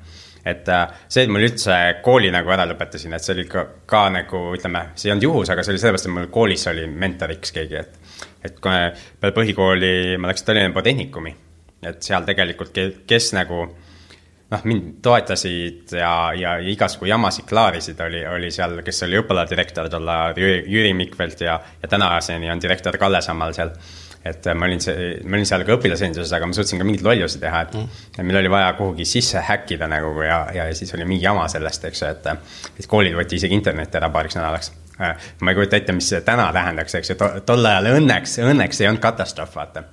Et see, et mul üldse kooli nagu ära lõpetasin, et see oli ka nagu, ütleme, see ei olnud juhus, aga see oli sellepärast, et mul koolis oli mentoriks keegi, et kui peale põhikooli ma läksin Tallinna Polütehnikumi, et seal tegelikult, kes nagu mind toetasid ja igasugused jamasid klaarisid oli seal, kes oli õppaladirektor tolla Jüri Mikvelt ja tänaseni on direktor Kalle Sammal seal. Et ma olin seal ka õpilasenduses, aga ma suutsin ka mingid loljusi teha, et meil oli vaja kuhugi sisse häkkida nagu ja siis oli mingi jama sellest, eks, et koolid võeti isegi internet ära paariks nädalaks. Ma ei kujuta ette, mis see täna tähendaks, eks, tol ajal õnneks ei olnud katastroof, vaata.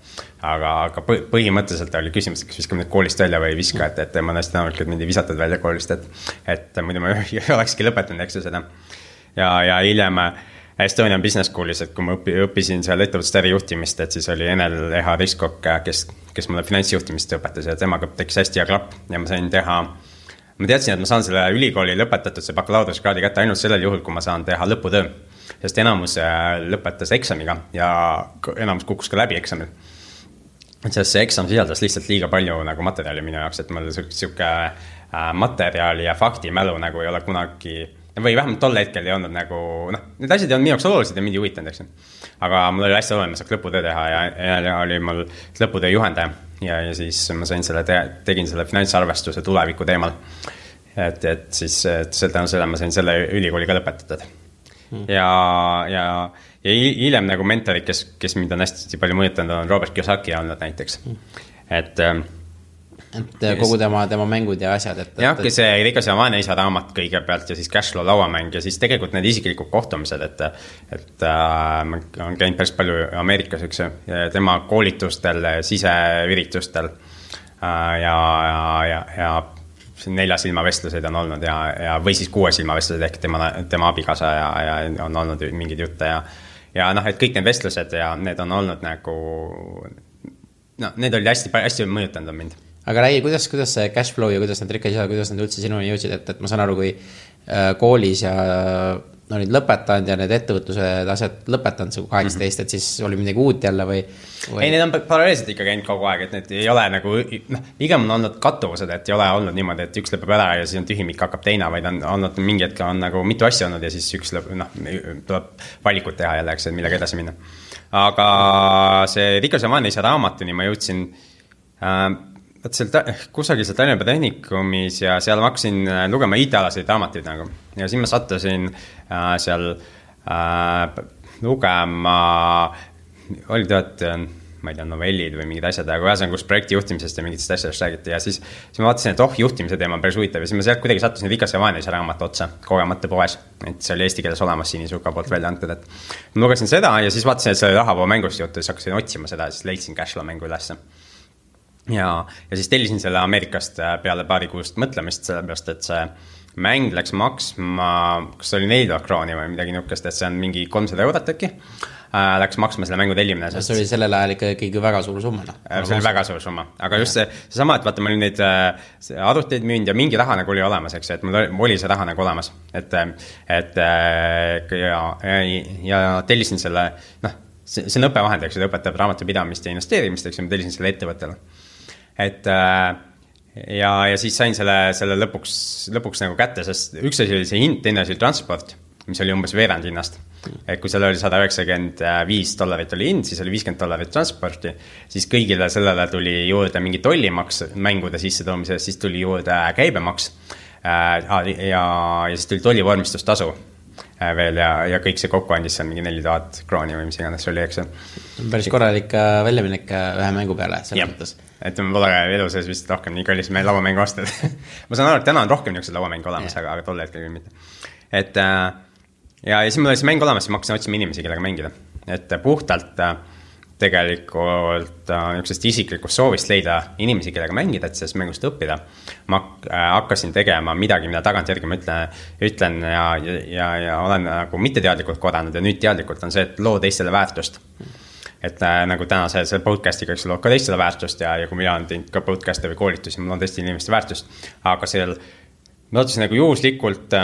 Aga põhimõtteliselt oli küsimus, kas viskame nüüd koolist välja või ei viska, et ma näest enamalt, et mind ei visatud välja koolist, et muidu ma ei olekski lõpetanud, eks seda. Ja hiljem Estonian Business Schoolis, et kui ma õppisin seal ettevõtluste ärijuhtimist, et siis oli Enel Eha Riskok, kes mulle finantsjuhtimist õpetas ja temaga tekkis hästi hea klapp ja ma sain teha. Ma teadsin, et ma saan selle ülikooli lõpetatud see bakalaureusekraadi kätte ainult sellel juhul, kui ma saan teha lõputöö. Sest enamus lõpetas eksamiga ja enamus kukkus ka läbi eksamil. Sest see eksam sisaldas lihtsalt liiga palju nagu materjali minu jaoks, et mul siuke materjali ja faktimälu nagu ei ole kunagi, või vähemalt tol hetkel ei olnud nagu, need asjad ei olnud minu jaoks olulised ja mind ei huvitanud, eks. Aga mul oli hästi oluline, ma saaks lõputöö teha ja oli mul lõputöö juhendaja. Ja siis ma sain tegin selle finantsarvestuse tuleviku teemal. Et siis selle ma sain selle ülikooli ka lõpetatud. Ja hiljem nagu mentorid, kes mind on hästi palju mõjutanud, on Robert Kiyosaki olnud näiteks. Et kogu tema mängud ja asjad. Jah, see Rikas ja Vaene isa raamat kõigepealt ja siis Cashflow lauamäng ja siis tegelikult need isiklikud kohtumised, et ma olen käinud päris palju Ameerikas, üks tema koolitustel, siseüritustel ja 4 silmavestluseid on olnud või siis 6 silmavestluseid ehk tema abikasa ja on olnud mingid jutte ja noh, et kõik need vestlused ja need on olnud nagu, no need olid hästi mõjutanud on mind. Aga räägi, kuidas see cash flow ja kuidas need rikkad, kuidas need üldse sinuni jõudsid, et ma saan aru, kui koolis ja olid lõpetanud ja need ettevõtlused asjad lõpetanud see 18, et siis oli midagi uut jälle või? Ei, need on paralleelselt ikka käinud kogu aeg, et need ei ole nagu, pigem on olnud kattuvused, et ei ole olnud niimoodi, et üks lõpeb ära ja siis on tühimik hakkab teine, vaid on olnud mingi hetk on nagu mitu asja olnud ja siis üks tuleb valikut teha jälle, eks, et millega edasi minna. Aga see Rikas ja Vaene isa raamatuni ma jõudsin kusagil seal Tallinna Tehnikumis ja seal ma hakkasin lugema IT-alaseid raamatuid nagu. Ja siis ma sattusin seal lugema, oli ma ei tea, novellid või mingid asjad, aga ühesõnaga, kus projekti juhtimisest ja mingitest asjadest räägiti ja siis ma vaatasin, et juhtimise teema on päris huvitav ja siis ma sealt kuidagi sattusin Rikas ja Vaene isa raamat otsa kogemata poes, et see oli eesti keeles olemas Sinisuka poolt välja antud, et ma lugesin seda ja siis vaatasin, et see oli rahavoo mängust juttu, siis hakkasin otsima seda ja siis leidsin Cashflow mängu ülesse. Ja siis tellisin selle Ameerikast peale paari kuust mõtlemist, sellepärast, et see mäng läks maksma, kas see oli 4 krooni või midagi niukest, et see on mingi 300 eurot äkki, läks maksma selle mängu tellimine. See oli sellel ajal ikkagi väga suur summa. See oli väga suur summa, aga just see sama, et vaata, ma olin neid arvuteid müünud ja mingi raha nagu oli olemas, eks, et mul oli see raha nagu olemas, et ja tellisin selle, see on õppevahend, eks, et õpetab raamatupidamist ja investeerimist, eks, ja ma tellisin selle ettevõttele. Et ja siis sain selle lõpuks nagu kätte, sest üks asi oli see hind, teine asi oli transport, mis oli umbes veerand hinnast. Et kui seal oli $195 oli hind, siis oli $50 transporti, siis kõigile sellele tuli juurde mingi tollimaks mängude sissetoomise, siis tuli juurde käibemaks ja siis tuli tollivormistustasu veel ja kõik see kokku andis seal mingi 4000 krooni või mis iganes oli, eks. Päris korralik väljaminek ühe mängu peale, selles mõttes. Et ma pole elu sees vist rohkem nii kallis meie lauamängu aastad. Ma saan aru, et täna on rohkem niisugused lauamängu olemas, aga tolle hetkel küll mitte. Et ja siis mul oli see mäng olemas ja ma hakkasin otsima inimesi, kellega mängida. Et puhtalt tegelikult niisugusest isiklikust soovist leida inimesi, kellega mängida, et sellest mängust õppida. Ma hakkasin tegema midagi, mida tagantjärgi ma ütlen ja olen nagu mitteteadlikult korranud ja nüüd teadlikult on see, et loo teistele väärtust. Et nagu täna see podcastiga, eks loo ka teistele väärtust ja kui mina olen teinud ka podcasti või koolitusi, mul on teiste inimeste väärtust, aga seal ma otsusin nagu juhuslikult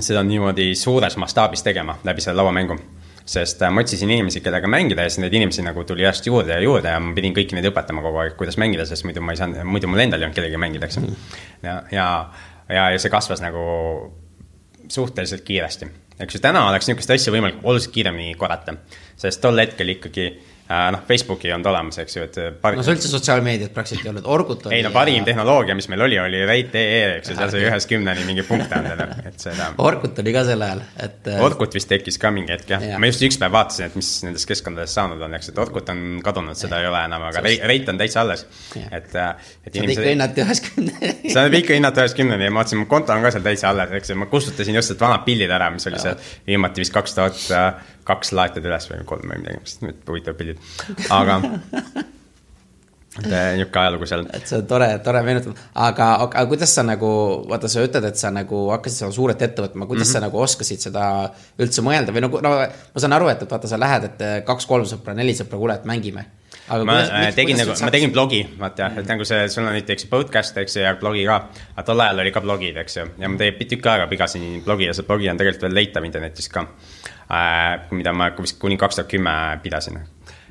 seda niimoodi suures mastaabis tegema läbi selle lauamängu, sest ma otsisin inimesi, kellega mängida ja siis need inimesi nagu tuli järjest juurde ja ma pidin kõiki neid õpetama kogu aeg, kuidas mängida, sest muidu mul endal ei olnud kellega mängida, eks. Ja see kasvas nagu suhteliselt kiiresti. Eks ju, täna oleks niisugust asja võimalik oluliselt kiiremini korrata, sest tol hetkel ikkagi Facebooki on olemas, eks ju, et see üldse sotsiaalmeediat praktiliselt ei olnud, Orkut oli. Ei, parim tehnoloogia, mis meil oli Rate.ee, eks ju, seal sai 1-10 mingi punkt andele, et seda. Orkut oli ka sel ajal, et Orkut vist tekkis ka mingi hetk, jah. Ma just üks päev vaatasin, et mis nendes keskkondades saanud on, eks, et Orkut on kadunud, seda ei ole enam, aga Rate on täitsa alles. Saad ikka hinnati 1-10. Saad ikka hinnati 1-10 ja ma vaatasin, mu konto on ka seal täitsa alles, eks, ma kustutasin just vanad pildid ära, mis oli seal viimati vist 2002 laetad üles või 3 või midagi, mis nüüd huvitav pildid. Aga niuke ajalugu seal. Et see on tore meenutada. Aga kuidas sa nagu, vaata sa ütled, et sa nagu hakkasid seda suuret ette võtma, kuidas sa nagu oskasid seda üldse mõelda või no ma saan aru, et vaata sa lähed, et 2-3 sõpra, 4 sõpra, kuule, et mängime. Aga ma tegin blogi, vaata, et nagu sul on näiteks podcast, eks ja blogi ka, aga tol ajal oli ka blogid, eks ju, ja ma tükk aega pigasin blogi ja see blogi on tegelikult veel leitav internetis ka, mida ma vist kuni 2010 pidasin.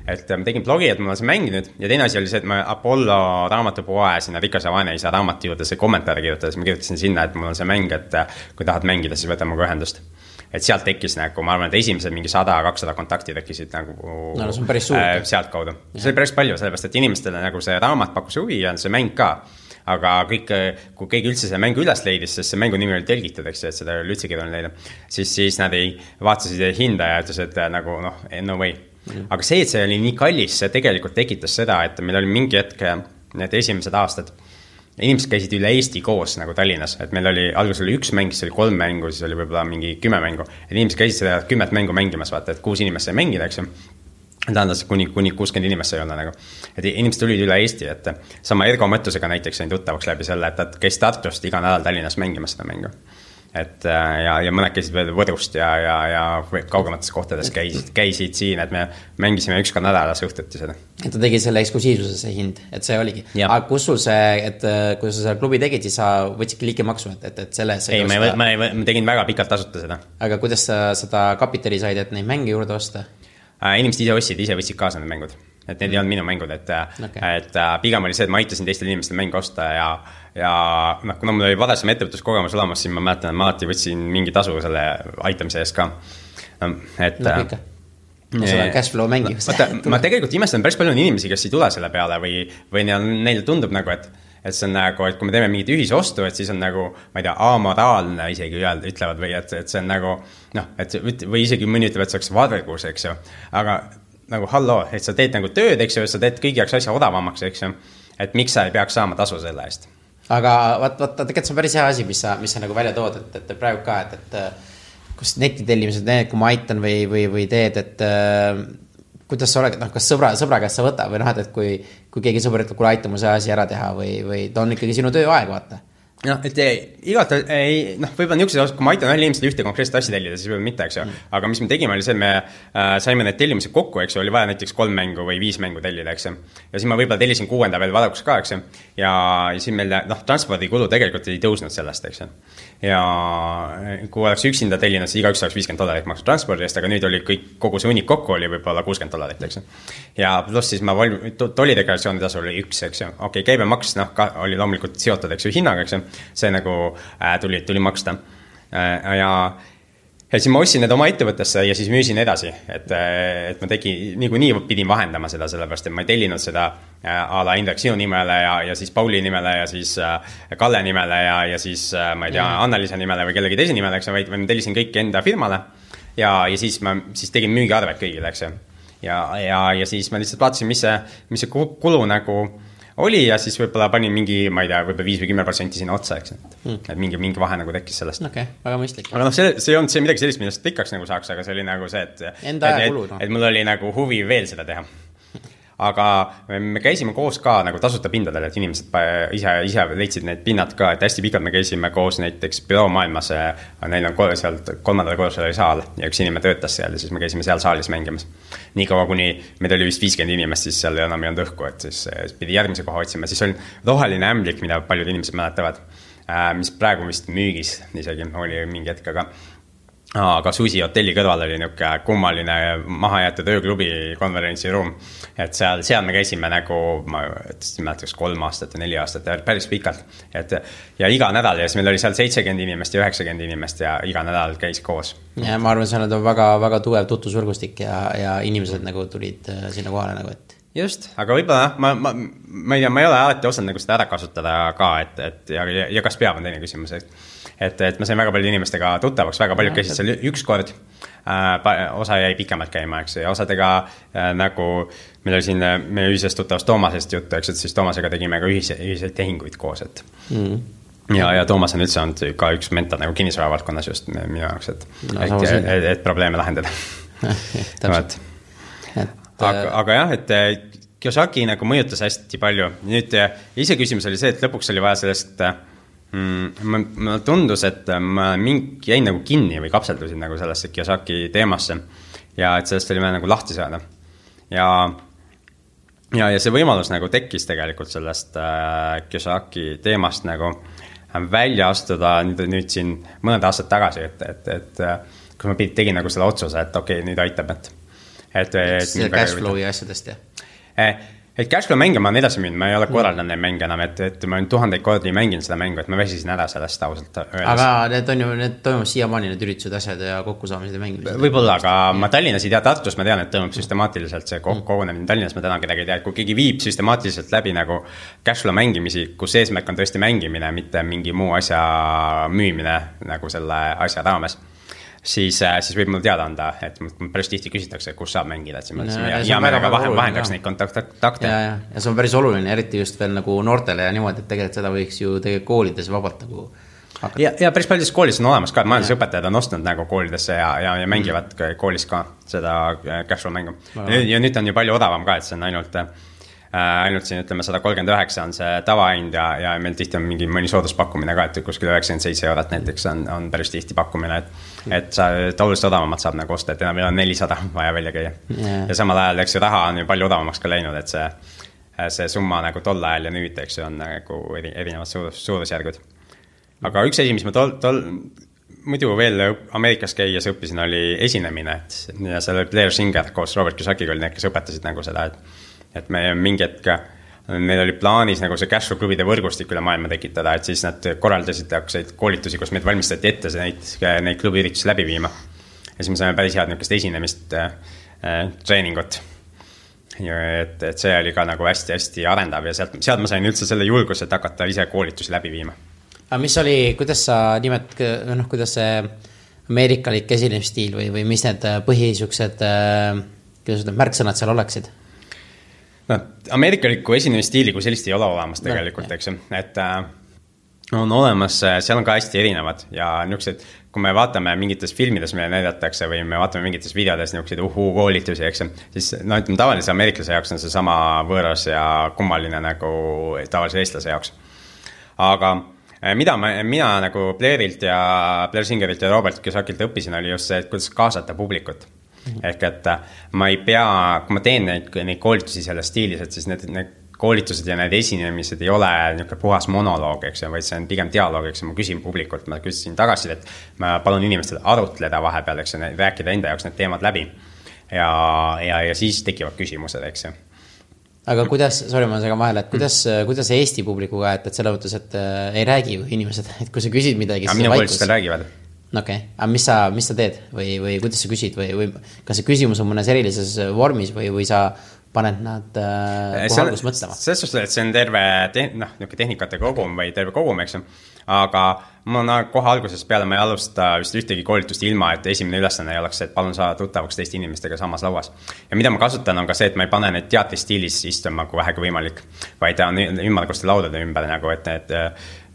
Et ma tegin blogi, et ma olen see mänginud ja teine asi oli see, et ma Apollo raamatupoe sinna Rikas ja Vaene isa raamatu juurde see kommentaari kirjutades, ma kirjutasin sinna, et mul on see mäng, et kui tahad mängida, siis võtame ka ühendust. Et sealt tekkis nagu, ma arvan, et esimesed mingi 100-200 kontakti tekkisid nagu see on päris suur. Sealt kaudu. See oli päris palju, sellepärast, et inimestele nagu see raamat pakkus huvi ja see mäng ka. Aga kõik, kui keegi üldse selle mängu üles leidis, sest see mängu nimi oli telgitud, eks, et seda oli üldse keeruline leida, siis nad ei vaatasid hinda ja ütles, et nagu no way. Aga see, et see oli nii kallis, see tegelikult tekitas seda, et meil oli mingi hetk need esimesed aastad, inimesed käisid üle Eesti koos nagu Tallinnas, et meil oli, alguses oli 1 mäng, siis oli 3 mängu, siis oli võib-olla mingi 10 mängu, et inimesed käisid seda 10 mängu mängimas, vaata, et 6 inimest sai mängida, eks ju. Tähendas, kuni 60 inimest sai olla nagu. Et inimesed tulid üle Eesti, et sama Ergo Mõttusega näiteks sain tuttavaks läbi selle, et käis Tartust iga nädal Tallinnas mängimas seda mängu. et ja mõned käisid veel Võrust ja kaugemates kohtades käisid siin, et me mängisime üks ka nädalas õhtuti seda. Et ta tegi selle eksklusiivsuse see hind, et see oligi. Aga kus sul see, et kui sa selle klubi tegid, siis sa võtsidki liikemaksu, et selle ei, ma tegin väga pikalt tasuta seda. Aga kuidas sa seda kapitali said, et neid mänge juurde osta? Inimesed ise võtsid kaasa need mängud. Et need ei olnud minu mängud, et pigem oli see, et ma aitasin teistel inimestel mängu osta ja kuna mul oli varasem ettevõtluskogemus olemas, siis ma mäletan, et ma alati võtsin mingi tasu selle aitamise eest ka. Seda cash flow mängib. Ma tegelikult imestan päris palju inimesi, kes ei tule selle peale või neile tundub nagu, et see on nagu, et kui me teeme mingit ühisostu, et siis on nagu, ma ei tea, amoraalne isegi ütlevad või et see on nagu, või isegi mõni ütleb, et see oleks vargus, eks ju, aga nagu halloo, et sa teed nagu tööd, eks ju, sa teed kõigi jaoks asja odavamaks, eks ju, et miks sa ei peaks saama tasu selle eest. Aga tegelikult see on päris hea asi, mis sa nagu välja tood, et praegu ka, et kus netitellimised, kui ma aitan või teed, et kuidas sa oled, kas sõbra käest sa võta või et kui keegi sõber ütleb, kuule aita mu see asi ära teha või ta on ikkagi sinu tööaeg, vaata. Et igalt ei, võib-olla niisugused, kui ma aitan ühel inimesele ühte konkreetset asja tellida, siis võib-olla mitte, eks ju. Aga mis me tegime, oli see, me saime need tellimised kokku, eks ju, oli vaja näiteks 3 mängu või 5 mängu tellida, eks ju. Ja siis ma võib-olla tellisin 6. veel vaadakuks ka, eks ju. Ja siis meil, transpordikulu tegelikult ei tõusnud sellest, eks ju. Ja kui oleks üksinda tellinud, siis igaüks oleks $50 maksu transpordi eest, aga nüüd oli kogu see unik kokku oli võib-olla $60, eks ju. Ja pluss siis ma tollideklaratsiooni tasu oli 1, eks ju. Okei, käibemaks oli loomulikult seotud, eks ju, hinnaga, eks ju. See nagu tuli maksta. Ja siis ma ostsin need oma ettevõttesse ja siis müüsin edasi, et ma nii pidin vahendama seda, sellepärast, et ma ei tellinud seda a la Indrek sinu nimele ja siis Pauli nimele ja siis Kalle nimele ja siis ma ei tea, Annalisa nimele või kellegi teise nimele, eks vaid ma tellisin kõik enda firmale ja siis ma tegin müügiarved kõigile, eks ja siis ma lihtsalt vaatasin, mis see kulu nagu oli ja siis võib-olla panin mingi, ma ei tea, võib-olla 5 või 10% sinna otsa, eks. Et mingi vahe nagu tekkis sellest. Okei, väga mõistlik. Aga see on see midagi sellist, millest rikkaks nagu saaks, aga see oli nagu see, et mul oli nagu huvi veel seda teha. Aga me käisime koos ka nagu tasuta pindadel, et inimesed ise leidsid need pinnad ka, et hästi pikalt me käisime koos näiteks büroo maailmas, neil on sealt 3. korrusel oli saal ja üks inimene töötas seal ja siis me käisime seal saalis mängimas. Nii kaua, kuni meid oli vist 50 inimest, siis seal enam ei olnud õhku, et siis pidi järgmise koha otsima. Siis oli roheline ämblik, mida paljud inimesed mäletavad, mis praegu vist müügis isegi oli mingi hetk, aga Susi hotelli kõrval oli niuke kummaline mahajäetud ööklubi konverentsiruum, et seal me käisime nagu, ma mäletaks 3 aastat ja 4 aastat ja päris pikalt, ja iga nädal ja siis meil oli seal 70 inimest ja 90 inimest ja iga nädal käis koos. Ja ma arvan, see on väga, väga tugev tutvusvõrgustik ja inimesed nagu tulid sinna kohale nagu, et just, aga võib-olla ma ei tea, ma ei ole alati osanud nagu seda ära kasutada ka, ja kas peab on teine küsimus, et ma sain väga palju inimestega tuttavaks, väga palju käisid seal üks kord, osa jäi pikemalt käima, eks, ja osadega nagu meil oli siin meie ühisest tuttavast Toomasest juttu, eks, et siis Toomasega tegime ka ühiseid tehinguid koos, et ja Toomas on üldse olnud ka üks mentor nagu kinnisvara valdkonnas just minu jaoks, et probleeme lahendada. Aga jah, et Kiyosaki nagu mõjutas hästi palju. Nüüd ise küsimus oli see, et lõpuks oli vaja sellest, ma tundus, et ma jäin nagu kinni või kapseldusin nagu sellesse Kiyosaki teemasse ja et sellest oli vaja nagu lahti saada. Ja see võimalus nagu tekkis tegelikult sellest Kiyosaki teemast nagu välja astuda nüüd siin mõned aastad tagasi, et kui ma tegin nagu selle otsuse, et okei, nüüd aitab, et see cashflow ja asjadest, et cashflow mänge ma olen edasi müünud, ma ei ole korraldanud neid mänge enam, et ma olen 1000 kordi mänginud seda mängu, et ma väsisin ära sellest ausalt öeldes. Aga need toimub siiamaani need üritused, asjad ja kokkusaamised ja mängimised. Võib-olla, aga ma Tallinnas ei tea, Tartus ma tean, et toimub süstemaatiliselt see kogunemine. Tallinnas ma täna kedagi ei tea, et kui keegi viib süstemaatiliselt läbi nagu cashflow mängimisi, kus eesmärk on tõesti mängimine, mitte mingi muu asja müümine nagu selle asja raames, siis võib mulle teada anda, et päris tihti küsitakse, kus saab mängida, et ja me väga vahendaks neid kontakte. Ja see on päris oluline, eriti just veel nagu noortele ja niimoodi, et tegelikult seda võiks ju tegelikult koolides vabalt nagu hakata. Ja päris paljudes koolis on olemas ka, et majandusõpetajad on ostnud nagu koolidesse ja mängivad koolis ka seda cashflow mängu. Ja nüüd on ju palju odavam ka, et see on ainult ainult siin ütleme 139 on see tavahind ja meil tihti on mõni sooduspakkumine ka, et kuskil 97 eurot näiteks on päris tihti pakkumine, et sa oluliselt odavamalt saab nagu osta, et enam ei ole 400 vaja välja käia. Ja samal ajal, eks ju, raha on ju palju odavamaks ka läinud, et see summa nagu tol ajal ja nüüd, eks ju, on nagu erinevad suurusjärgud. Aga üks asi, mis ma muidu veel Ameerikas käies õppisin, oli esinemine, ja seal oli Blair Singer koos Robert Kiyosakiga oli need, kes õpetasid nagu seda, et me mingi hetk, neil oli plaanis nagu see cashflow klubide võrgustik üle maailma tekitada, et siis nad korraldasid koolitusi, kus meid valmistati ette neid klubiüritusi läbi viima. Ja siis me saime päris head niisugust esinemist treeningut. Et see oli ka nagu hästi arendav ja sealt ma sain üldse selle julguse, et hakata ise koolitusi läbi viima. Aga mis oli, kuidas sa kuidas see ameerikalik esinemisstiil või mis need põhisuksed märksõnad seal oleksid? No, ameerikaliku esinemisstiili kui sellist ei ole olemas tegelikult, eks ju, et on olemas, seal on ka hästi erinevad ja niisugused, kui me vaatame mingites filmides, mille näidatakse või me vaatame mingites videodes niisuguseid koolitusi, eks ju, siis ütleme tavalise ameeriklase jaoks on see sama võõras ja kummaline nagu tavalise eestlase jaoks. Aga mida mina nagu Blairilt ja Blair Singerilt ja Robert Kiyosakilt õppisin, oli just see, et kuidas kaasata publikut. Ehk et ma ei pea, kui ma teen neid koolitusi selles stiilis, et siis need koolitused ja need esinemised ei ole niisugune puhas monoloog, eks, vaid see on pigem dialoog, eks, ma küsin publikult, ma küsisin tagasi, et ma palun inimestel arutleda vahepeal, eks, rääkida enda jaoks need teemad läbi ja siis tekivad küsimused, eks. Aga kuidas, sorry, ma segan vahele, et kuidas Eesti publikuga, et selle mõttes, et ei räägi ju inimesed, et kui sa küsid midagi, siis minu koolitustel räägivad. Okay. Aga mis sa teed või kuidas sa küsid või kas see küsimus on mõnes erilises vormis või sa paned nad kohe alguses mõtlema? Selles suhtes, et see on terve tehnikate kogum või terve kogum, eks. Aga ma kohe alguses peale ma ei alusta vist ühtegi koolitust ilma, et esimene ülesanne ei oleks, et palun saada tuttavaks teiste inimestega samas lauas. Ja mida ma kasutan on ka see, et ma ei pane need teatristiilis istuma kui vähegi võimalik, vaid on ümmarguste laudade ümber nagu, et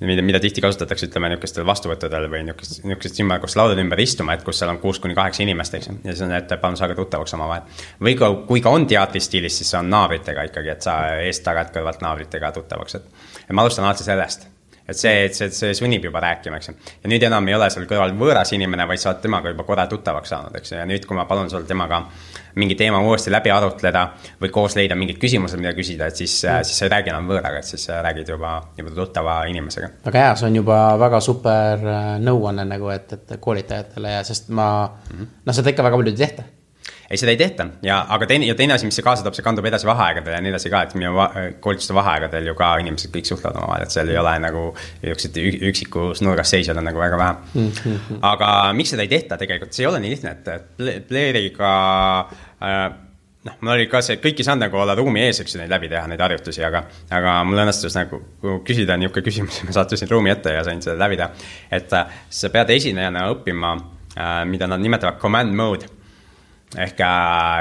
mida tihti kasutatakse, ütleme, niisugustel vastuvõttudel või niisugused ümmarguste laudade ümber istuma, et kus seal on 6-8 inimest, eks. Ja siis on, et palun saage tuttavaks oma vahel. Või kui ka on teatristiilis, siis see on naabritega ikkagi, et sa eest tagad kõrvalt naabritega tuttavaks. Et ma alustan alati sellest. Et see sunnib juba rääkima, eks. Ja nüüd enam ei ole seal kõrval võõras inimene, vaid sa oled temaga juba korra tuttavaks saanud, eks. Ja nüüd, kui ma palun sul temaga mingi teema uuesti läbi arutleda või koos leida mingid küsimused, mida küsida, et siis sa ei räägi enam võõraga, et siis räägid juba tuttava inimesega. Aga hea, see on juba väga super nõuanne nagu, et koolitajatele ja sest seda ikka väga palju ei tehta. Ei, seda ei tehta, aga teine asi, mis see kaasa toob, see kandub edasi vaheaegadel ja nii edasi ka, et minu koolituste vaheaegadel ju ka inimesed kõik suhtlevad oma vahel, et seal ei ole nagu üksikus nurgas seisjad on nagu väga vähe. Aga miks seda ei tehta tegelikult, see ei ole nii lihtne, et Blairiga, mul oli ka see, kõik ei saanud nagu olla ruumi ees, eks neid läbi teha, neid harjutusi, aga mul õnnestus nagu küsida niisugune küsimus, ma sattusin ruumi ette ja sain seda läbi teha, et sa pead esinejana õppima, mida nad nimetavad command mode, ehk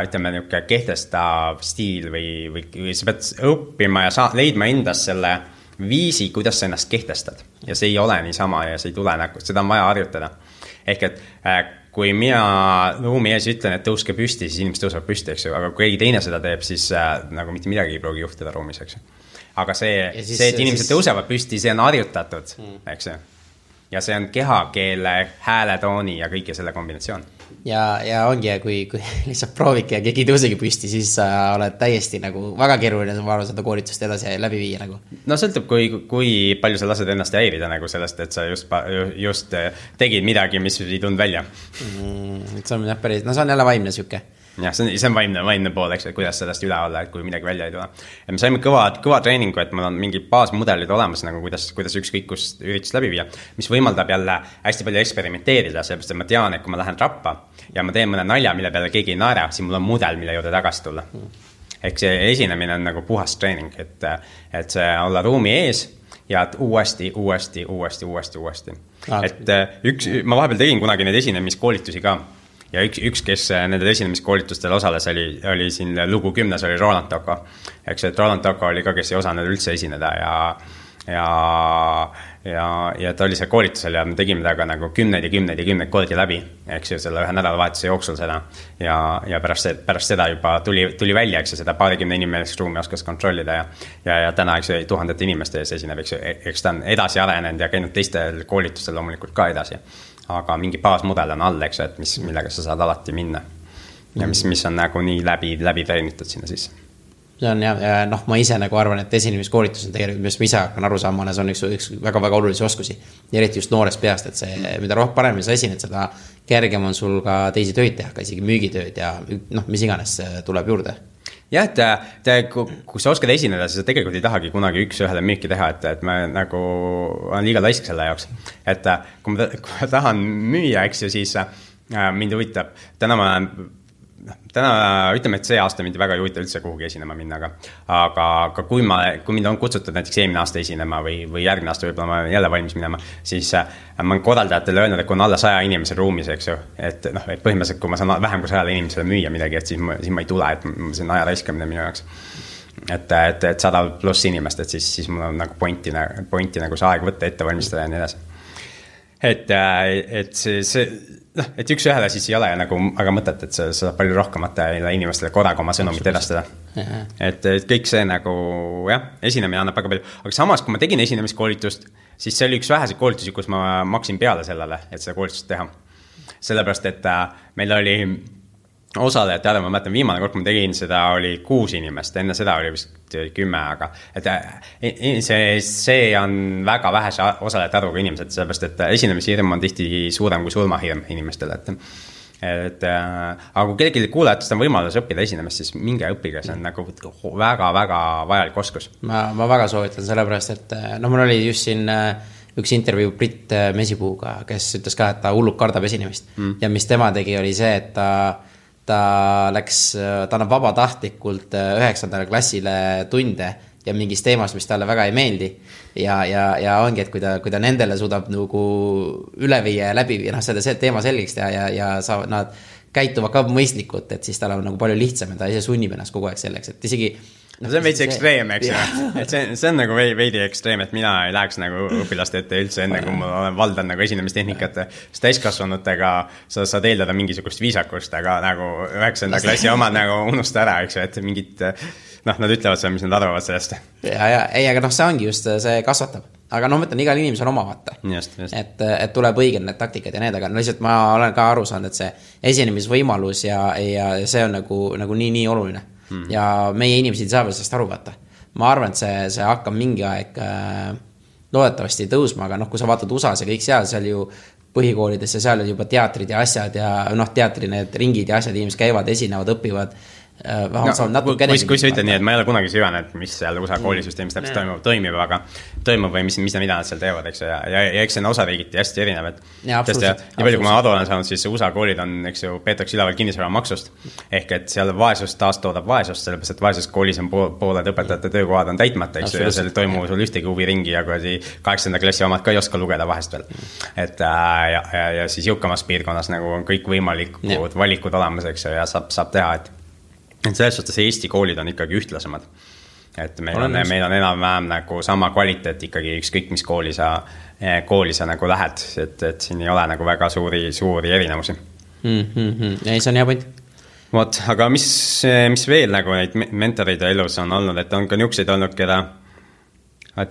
ütleme niisugune kehtestav stiil või sa pead õppima ja leidma endas selle viisi, kuidas sa ennast kehtestad. Ja see ei ole niisama ja see ei tule nagu, seda on vaja harjutada. Ehk et kui mina ruumi ees ütlen, et tõuske püsti, siis inimesed tõusevad püsti, eks ju, aga kui keegi teine seda teeb, siis nagu mitte midagi ei pruugi juhtida ruumis, eks ju. Aga see, et inimesed tõusevad püsti, see on harjutatud, eks ju. Ja see on kehakeele, hääletooni ja kõike selle kombinatsioon. Ja ongi, kui lihtsalt proovike ja keegi tõusegi püsti, siis sa oled täiesti nagu väga keeruline seda koolitust edasi läbi viia nagu. No sõltub, kui palju sa lased ennast häirida nagu sellest, et sa just tegid midagi, mis ei tulnud välja. See on päris, see on jälle vaimne süke. Jah, see on vaimne pool, eks, et kuidas sellest üle olla, et kui midagi välja ei tule. Ja me saime kõva treeningu, et mul on mingi baasmudelid olemas, nagu kuidas ükskõik kus üritust läbi viia, mis võimaldab jälle hästi palju eksperimenteerida, sellepärast, et ma tean, et kui ma lähen trappa ja ma teen mõne nalja, mille peale keegi ei naera, siis mul on mudel, mille juurde tagasi tulla. Ehk see esinemine on nagu puhas treening, et see olla ruumi ees ja uuesti. Et ma vahepeal tegin kunagi neid esinemiskoolitusi ka. Ja üks, kes nendel esinemiskoolitustel osales, oli siin lugu 10, oli Roland Tocco. Eks et Roland Tocco oli ka, kes ei osanud üldse esineda ja ja ta oli seal koolitusel ja me tegime temaga nagu 10 kordi läbi, eks ju, selle ühe nädalavahetuse jooksul seda. Ja pärast seda juba tuli välja, eks ju, seda 20 inimesest ruumi oskas kontrollida ja täna, eks ju, tuhandete inimeste ees esineb, eks ta on edasi arenenud ja käinud teistel koolitustel loomulikult ka edasi. Aga mingi baasmudel on all, eks ju, et millega sa saad alati minna. Ja mis on nagu nii läbi treenitud sinna sisse. See on ja ma ise nagu arvan, et esinemiskoolitus on tegelikult, mis ma ise hakkan aru saama, see on üks väga-väga olulisi oskusi. Ja eriti just noorest peast, et see, mida paremini sa esined, seda kergem on sul ka teisi töid teha, ka isegi müügitööd ja mis iganes tuleb juurde. Jah, et kui sa oskad esineda, siis sa tegelikult ei tahagi kunagi üks-ühele müüki teha, et ma nagu olen liiga laisk selle jaoks. Et kui ma tahan müüa, eks ju, siis mind huvitab, täna ütleme, et see aasta mind väga ei huvita üldse kuhugi esinema minna, aga kui mind on kutsutud näiteks eelmine aasta esinema või järgmine aasta võib-olla ma jälle valmis minema, siis ma olen korraldajatele öelnud, et kui on alla 100 inimese ruumis, eks ju, et põhimõtteliselt kui ma saan vähem kui 100 inimesele müüa midagi, et siis ma ei tule, et see on aja raiskamine minu jaoks. Et 100+ inimest, et siis mul on nagu pointi nagu see aeg võtta, ette valmistada ja nii edasi. Et et üks-ühele siis ei ole nagu aga mõtet, et sa saad palju rohkemate inimestele korraga oma sõnumit edastada. Et kõik see nagu, esinemine annab väga palju. Aga samas, kui ma tegin esinemiskoolitust, siis see oli üks väheseid koolitusi, kus ma maksin peale sellele, et seda koolitust teha. Sellepärast, et meil oli osalejad, ma mäletan, viimane kord, kui ma tegin seda, oli 6 inimest, enne seda oli vist 10, aga see on väga vähese osalejate arvuga inimesed, sellepärast, et esinemishirm on tihti suurem kui surmahirm inimestele, aga kui kellelgi kuulajatest on võimalus õppida esinemist, siis minge õppige, see on nagu väga-väga vajalik oskus. Ma väga soovitan sellepärast, et mul oli just siin üks intervjuu Brit Mesipuuga, kes ütles ka, et ta hullult kardab esinemist ja mis tema tegi, oli see, et ta annab vabatahtlikult 9. klassile tunde ja mingis teemas, mis talle väga ei meeldi ja ongi, et kui ta nendele suudab nagu üle viia ja läbi ja selle teema selgeks teha ja nad käituvad ka mõistlikult, et siis tal on nagu palju lihtsam ja ta ise sunnib ennast kogu aeg selleks, et isegi see on veidi ekstreem, eks ju. Et see on nagu veidi ekstreem, et mina ei läheks nagu õpilaste ette üldse enne, kui ma valdan nagu esinemistehnikat. Sest täiskasvanutega sa saad eeldada mingisugust viisakust, aga nagu 9. klassi omad nagu unusta ära, eks ju, et mingid, nad ütlevad seda, mis nad arvavad sellest. Aga see ongi just, see kasvatab. Aga mõtlen, igal inimesel on oma vaata. Just. Et tuleb õiged need taktikad ja need, aga lihtsalt ma olen ka aru saanud, et see esinemisvõimalus ja see on nagu nii oluline. Ja meie inimesed saavad sellest aru vaata. Ma arvan, et see hakkab mingi aeg loodetavasti tõusma, aga kui sa vaatad USAs ja kõik seal ju põhikoolides ja seal on juba teatrid ja asjad ja teatri need ringid ja asjad, inimesed käivad, esinevad, õpivad. Kui sa ütled nii, et ma ei ole kunagi süvenenud, mis seal USA koolisüsteemis täpselt toimub või mis nad seal teevad, eks ju, ja eks see on osariigiti hästi erinev, et nii palju, kui ma adu olen saanud, siis USA koolid on, eks ju, peetakse üleval kinnisvara maksust, ehk et seal vaesust taastoodab vaesust, sellepärast, et vaesus koolis on pooled õpetajate töökohad on täitmata, eks ju, ja seal toimub sul ühtegi huviringi ja kui 8. klassi omad ka ei oska lugeda vahest veel. Et ja siis jõukamas piirkonnas nagu on kõik võimalikud valikud olemas, eks ju, ja saab teha, et selles suhtes Eesti koolid on ikkagi ühtlasemad. Et meil on enam-vähem nagu sama kvaliteet ikkagi ükskõik mis kooli sa nagu lähed, et siin ei ole nagu väga suuri erinevusi. Ei, see on hea point. Vot, aga mis veel nagu neid mentoreid elus on olnud, et on ka niukseid olnud, keda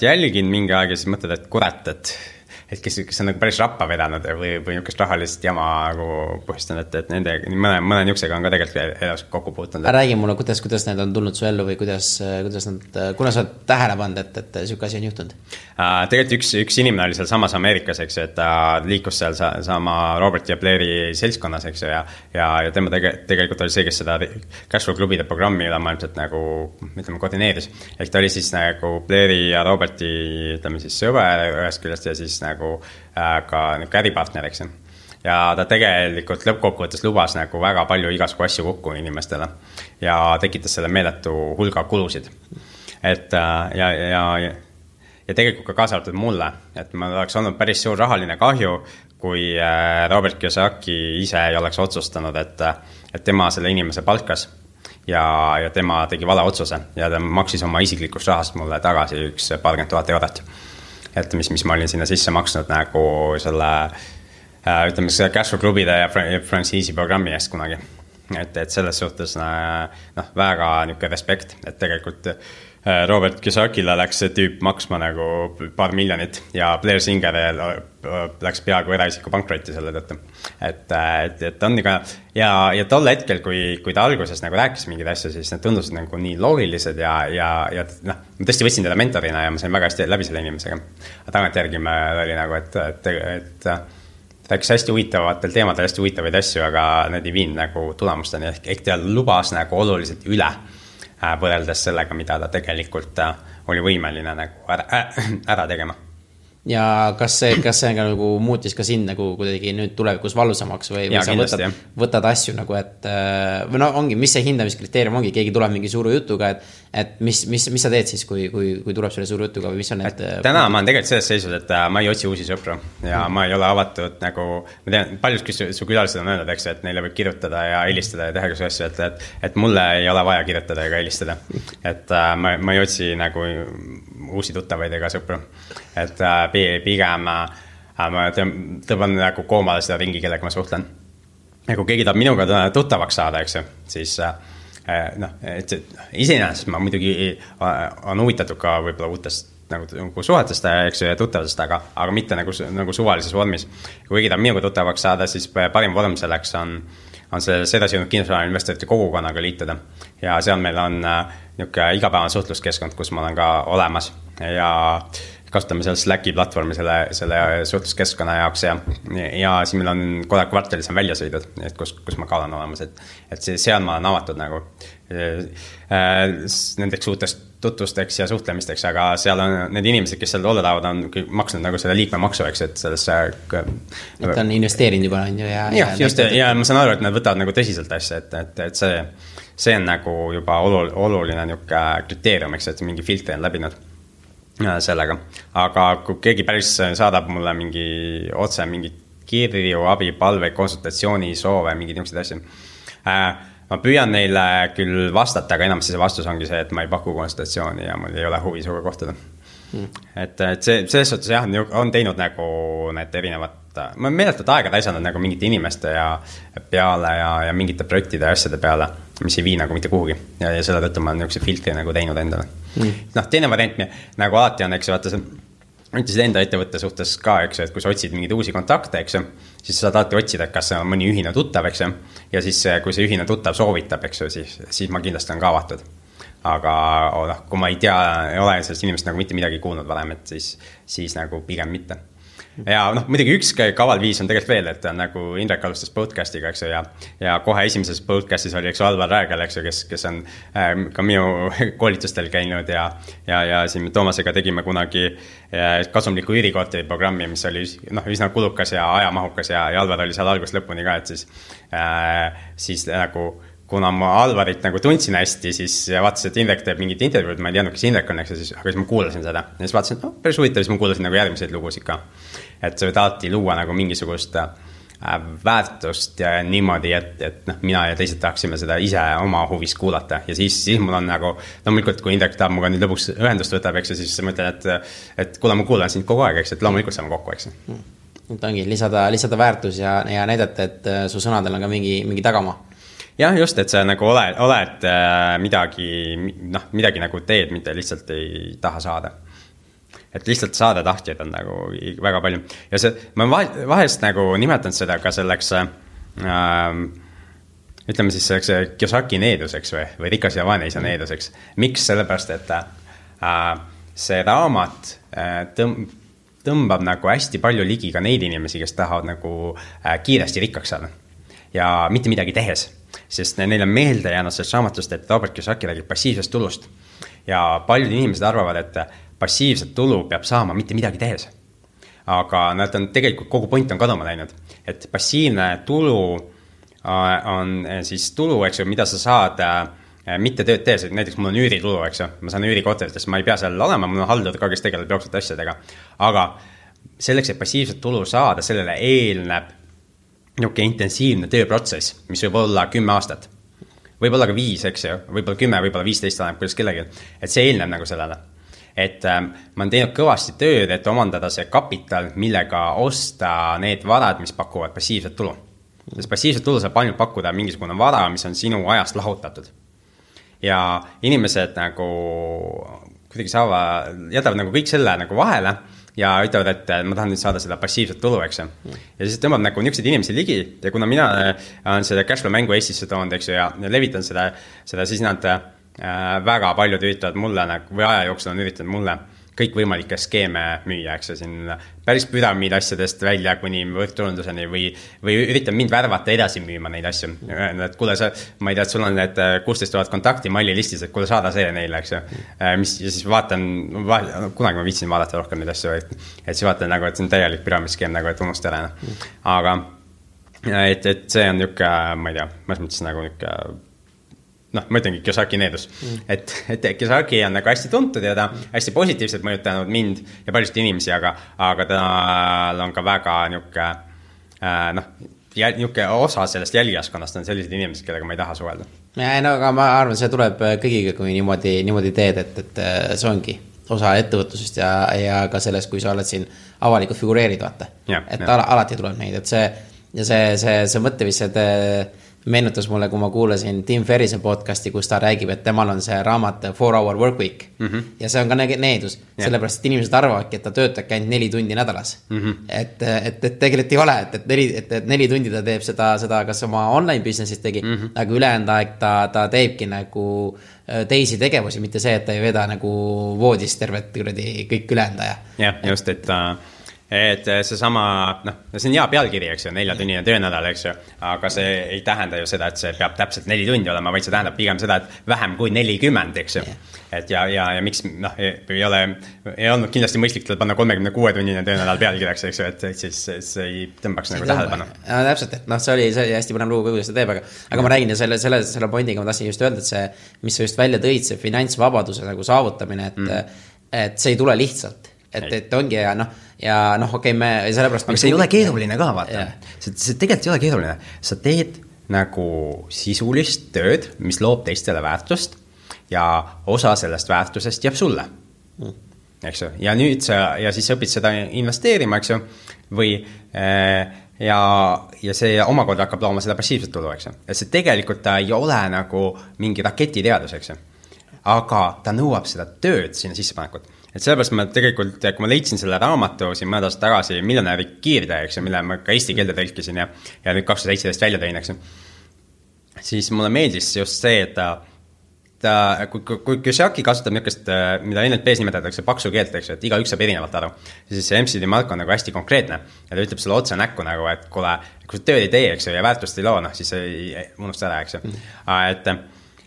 jälgin mingi aeg ja siis mõtled, et kurat, et kes on nagu päris rappa vedanud või niukest rahalist jama nagu põhjustanud, et nende mõne niuksega on ka tegelikult elus kokku puutunud. Räägi mulle, kuidas need on tulnud su ellu või kuidas kuna sa oled tähele pannud, et siuke asi on juhtunud? Tegelikult üks inimene oli seal samas Ameerikas, eks ju, et ta liikus seal sama Robert ja Blairi seltskonnas, eks ju, ja tema tegelikult oli see, kes seda Cashflow klubide programmi ülemaailmselt nagu, ütleme, koordineeris. Ehk ta oli siis nagu Blairi ja Roberti, ütleme siis sõber ühest küljest ja siis nagu ka äripartner, eks. Ja ta tegelikult lõppkokkuvõttes lubas nagu väga palju igasugu asju kokku inimestele ja tekitas selle meeletu hulga kulusid. Et ja tegelikult ka kaasa arvatud mulle, et ma oleks olnud päris suur rahaline kahju, kui Robert Kiyosaki ise ei oleks otsustanud, et tema selle inimese palkas ja tema tegi vale otsuse ja ta maksis oma isiklikust rahast mulle tagasi 20 000 eurot. et mis ma olin sinna sisse maksnud nagu selle, ütleme, see Cashflow klubide ja frantsiisi programmi eest kunagi. Et selles suhtes noh, väga niisugune respekt, et tegelikult Robert Kiyosakile läks see tüüp maksma nagu paar miljonit ja Blair Singer läks peaaegu eraisiku pankrotti selle tõttu. Et on niga, ja tol hetkel, kui ta alguses nagu rääkis mingid asja, siis need tundusid nagu nii loogilised ja noh, ma tõesti võtsin teda mentorina ja ma sain väga hästi läbi selle inimesega. Aga tagantjärgi me oli nagu, et rääkis hästi huvitavatel teemadel hästi huvitavaid asju, aga need ei viinud nagu tulemusteni. Ehk ta lubas nagu oluliselt üle võrreldes sellega, mida ta tegelikult oli võimeline nagu ära tegema. Ja kas see nagu muutis ka sind nagu kuidagi nüüd tulevikus valusamaks või ja, sa võtad asju nagu, et või no ongi, mis see hindamiskriteerium ongi, keegi tuleb mingi suure jutuga, et mis sa teed siis, kui tuleb selle suure jutuga või mis on need... Täna ma olen tegelikult selles seisus, et ma ei otsi uusi sõpru ja ma ei ole avatud nagu, ma tean, paljud su külalised on öelnud, eks, et neile võib kirjutada ja helistada ja teha kas asju, et mulle ei ole vaja kirjutada ega helistada. Et ma ei otsi nagu uusi tuttavaid ega sõpru. Et pigem ma tõban nagu koomale seda ringi, kellega ma suhtlen. Ja kui keegi tahab minuga tuttavaks saada, eks, siis iseenesest ma muidugi on huvitatud ka võib-olla uutest nagu suhetest, eks, ja tuttavast, aga mitte nagu suvalises vormis. Kui keegi tahab minuga tuttavaks saada, siis parim vorm selleks on selles edasijunud kinnisvara investorite kogukonnaga liituda. Ja seal meil on niisugune igapäevane suhtluskeskkond, kus ma olen ka olemas ja kasutame seal Slacki platvormi selle suhtluskeskkonna jaoks ja siis meil on kogu kvartalis on väljasõidud, et kus ma ka olen olemas, et seal ma olen avatud nagu nendeks uutest tutvusteks ja suhtlemisteks, aga seal on need inimesed, kes seal olla tahavad, on maksnud nagu selle liikmemaksu, eks, et sellesse et on investeerinud juba on ju ja ma saan aru, et nad võtavad nagu tõsiselt asja, et see on nagu juba oluline niisugune kriteerium, eks, et mingi filtri on läbinud sellega, aga kui keegi päris saadab mulle mingi kirju, abi, palve, konsultatsiooni, soove, mingid niisugused asju. Ma püüan neile küll vastata, aga enam see vastus ongi see, et ma ei paku konsultatsiooni ja mul ei ole huvi suga kohtuda. Et selles suhtes jah, on teinud nagu need erinevad, ma meeletult aega taisanud nagu mingite inimeste peale ja mingite projektide ja asjade peale, mis ei vii nagu mitte kuhugi ja selle tõttu ma olen niisuguse filtri nagu teinud endale. Teine variant nagu alati on, eks, vaata ütlesid enda ettevõtte suhtes ka, eks, et kui sa otsid mingeid uusi kontakte, eks, siis saad alati otsida, et kas see on mõni ühine tuttav, eks, ja siis kui see ühine tuttav soovitab, eks, siis ma kindlasti on ka avatud. Aga kui ma ei tea, ei ole sellest inimest nagu mitte midagi kuulnud varem, et siis nagu pigem mitte. Ja muidugi üks kaval viis on tegelikult veel, et on nagu Indrek alustas podcastiga, eks, ja kohe esimeses podcastis oli, eks, Alvar Räägel, eks, kes on ka minu koolitustel käinud ja siin Toomasega tegime kunagi kasumliku üürikorteri programmi, mis oli üsna kulukas ja ajamahukas ja Alvar oli seal algust lõpuni ka, et siis nagu kuna ma Alvarit nagu tundsin hästi, siis vaatasin, et Indrek teeb mingit intervjuud, ma ei teadnud, kes Indrek on, eks, aga siis ma kuulasin seda. Ja siis vaatasin, et päris huvitav, siis ma kuulasin nagu järgmiseid lugusid ka. Et see võid alati luua nagu mingisugust väärtust ja niimoodi, et mina ja teised tahaksime seda ise oma huvis kuulata. Ja siis mul on nagu, loomulikult, kui Indrek tahab muga nüüd lõpuks ühendust võtab, eks, siis ma ütlen, et kuule, ma kuulan sind kogu aeg, eks, et loomulikult saame kokku, eks. Et ongi lisada väärtus ja näidata, et su sõnadel on ka mingi tagamaa. Jah, just, et sa nagu oled midagi nagu teed, mitte lihtsalt ei taha saada. Et lihtsalt saada tahtjaid on nagu väga palju. Ja ma vahest nagu nimetan seda ka selleks, ütleme siis selleks Kiyosaki needuseks või rikas ja vaeneisa needuseks. Miks? Sellepärast, et see raamat tõmbab nagu hästi palju ligi ka neid inimesi, kes tahavad nagu kiiresti rikkaks saada. Ja mitte midagi tehes. Sest neil on meelde jäänud sellest raamatust, et Robert Kiyosaki räägib passiivsest tulust. Ja paljud inimesed arvavad, et passiivset tulu peab saama mitte midagi tehes. Aga nad on tegelikult kogu point on kaduma läinud. Et passiivne tulu on siis tulu, eks ju, mida sa saad mitte tööd tehes. Näiteks mul on üüritulu, eks ju. Ma saan üürikorteritest, ma ei pea seal olema, mul on haldur ka, kes tegeleb jooksvate asjadega. Aga selleks, et passiivset tulu saada, sellele eelneb niisugune intensiivne tööprotsess, mis võib olla 10 aastat. Võib olla ka 5, eks ju, võib olla 10, võib olla 15 annab, kuidas kellegi. Et see eelneb nagu sellele. et ma olen teinud kõvasti tööd, et omandada see kapital, millega osta need varad, mis pakuvad passiivset tulu. Sest passiivset tulu saab ainult pakkuda mingisugune vara, mis on sinu ajast lahutatud. Ja inimesed nagu kuidagi jätavad nagu kõik selle nagu vahele ja ütlevad, et ma tahan nüüd saada seda passiivset tulu, eks ju. Ja siis tõmbab nagu niisuguseid inimesi ligi ja kuna mina olen seda cashflow mängu Eestisse toonud, eks ju, ja levitan seda, siis nad väga paljud üritavad mulle või aja jooksul on üritanud mulle kõik võimalikke skeeme müüa, eks ju, siin päris püramiid asjadest välja kuni võrkturunduseni või üritan mind värvata edasi müüma neid asju. Et kuule, ma ei tea, et sul on need 16 000 kontakti malli listis, et kuule saada see neile, eks ju. Ja siis vaatan, kunagi ma viitsin vaadata rohkem neid asju, et siis vaatan nagu, et see on täielik püramidskeem nagu, et unust ära. Aga et see on niuke, ma ei tea, ma mõttes nagu niuke ma ütlengi Kiyosaki needus, et Kiyosaki on nagu hästi tuntud ja ta hästi positiivselt mõjutanud mind ja paljusid inimesi, aga tal on ka väga niuke osa sellest jälgijaskonnast on sellised inimesed, kellega ma ei taha suhelda. Aga ma arvan, see tuleb kõigiga, kui niimoodi teed, et see ongi osa ettevõtlusest ja ka sellest, kui sa oled siin avalikult figureerid, vaata. Alati tuleb neid, et see mõttevised meenutas mulle, kui ma kuulasin Tim Ferrise podcasti, kus ta räägib, et temal on see raamat 4-hour work week ja see on ka needus, sellepärast, et inimesed arvavadki, et ta töötabki ainult 4 tundi nädalas. Et tegelikult ei ole, et 4 tundi ta teeb seda kas oma online business'is tegi, aga ülejäänud aeg ta teebki nagu teisi tegevusi, mitte see, et ta ei veda nagu voodis tervet kõik ülejäänud aja. Jah, just, et see sama, see on hea pealkiri, eks ju, 4-tunnine töönädal, eks ju, aga see ei tähenda ju seda, et see peab täpselt 4 tundi olema, vaid see tähendab pigem seda, et vähem kui 40, eks ju. Et ja miks, ei olnud kindlasti mõistlik panna 36-tunnine töönädal pealkirjaks, eks ju, et siis see ei tõmbaks nagu tähelepanu. Täpselt, et see oli hästi põnev lugu, kuidas ta teeb, aga ma räägin ja selle pointiga ma tahtsin just öelda, et see, mis sa just välja tõid, see finantsvabaduse nagu saavutamine, et see ei tule lihtsalt. Et ongi okei, me sellepärast... Aga see ei ole keeruline ka, vaata. See tegelikult ei ole keeruline. Sa teed nagu sisulist tööd, mis loob teistele väärtust ja osa sellest väärtusest jääb sulle. Eks ju? Ja nüüd ja siis õpid seda investeerima, eks ju, või ja see omakorda hakkab looma seda passiivset tulu, eks ju. Et see tegelikult ta ei ole nagu mingi raketiteadus, eks ju. Aga ta nõuab seda tööd sinna sissepanekut. Et sellepärast ma tegelikult, kui ma leidsin selle raamatu siin mõned aastad tagasi Miljonäri kiirtee, eks ju, mille ma ka eesti keelde tõlkisin ja nüüd 2017 välja tõin, eks ju, siis mulle meeldis just see, et kui Kiyosaki kasutab niisugust, mida NLP-s nimetatakse paksu keelt, eks ju, et igaüks saab erinevalt aru, siis see MCD Mark on nagu hästi konkreetne ja ta ütleb sulle otse näkku nagu, et kuule, kui sa tööd ei tee, eks ju, ja väärtust ei loo, siis ei unusta ära, eks ju.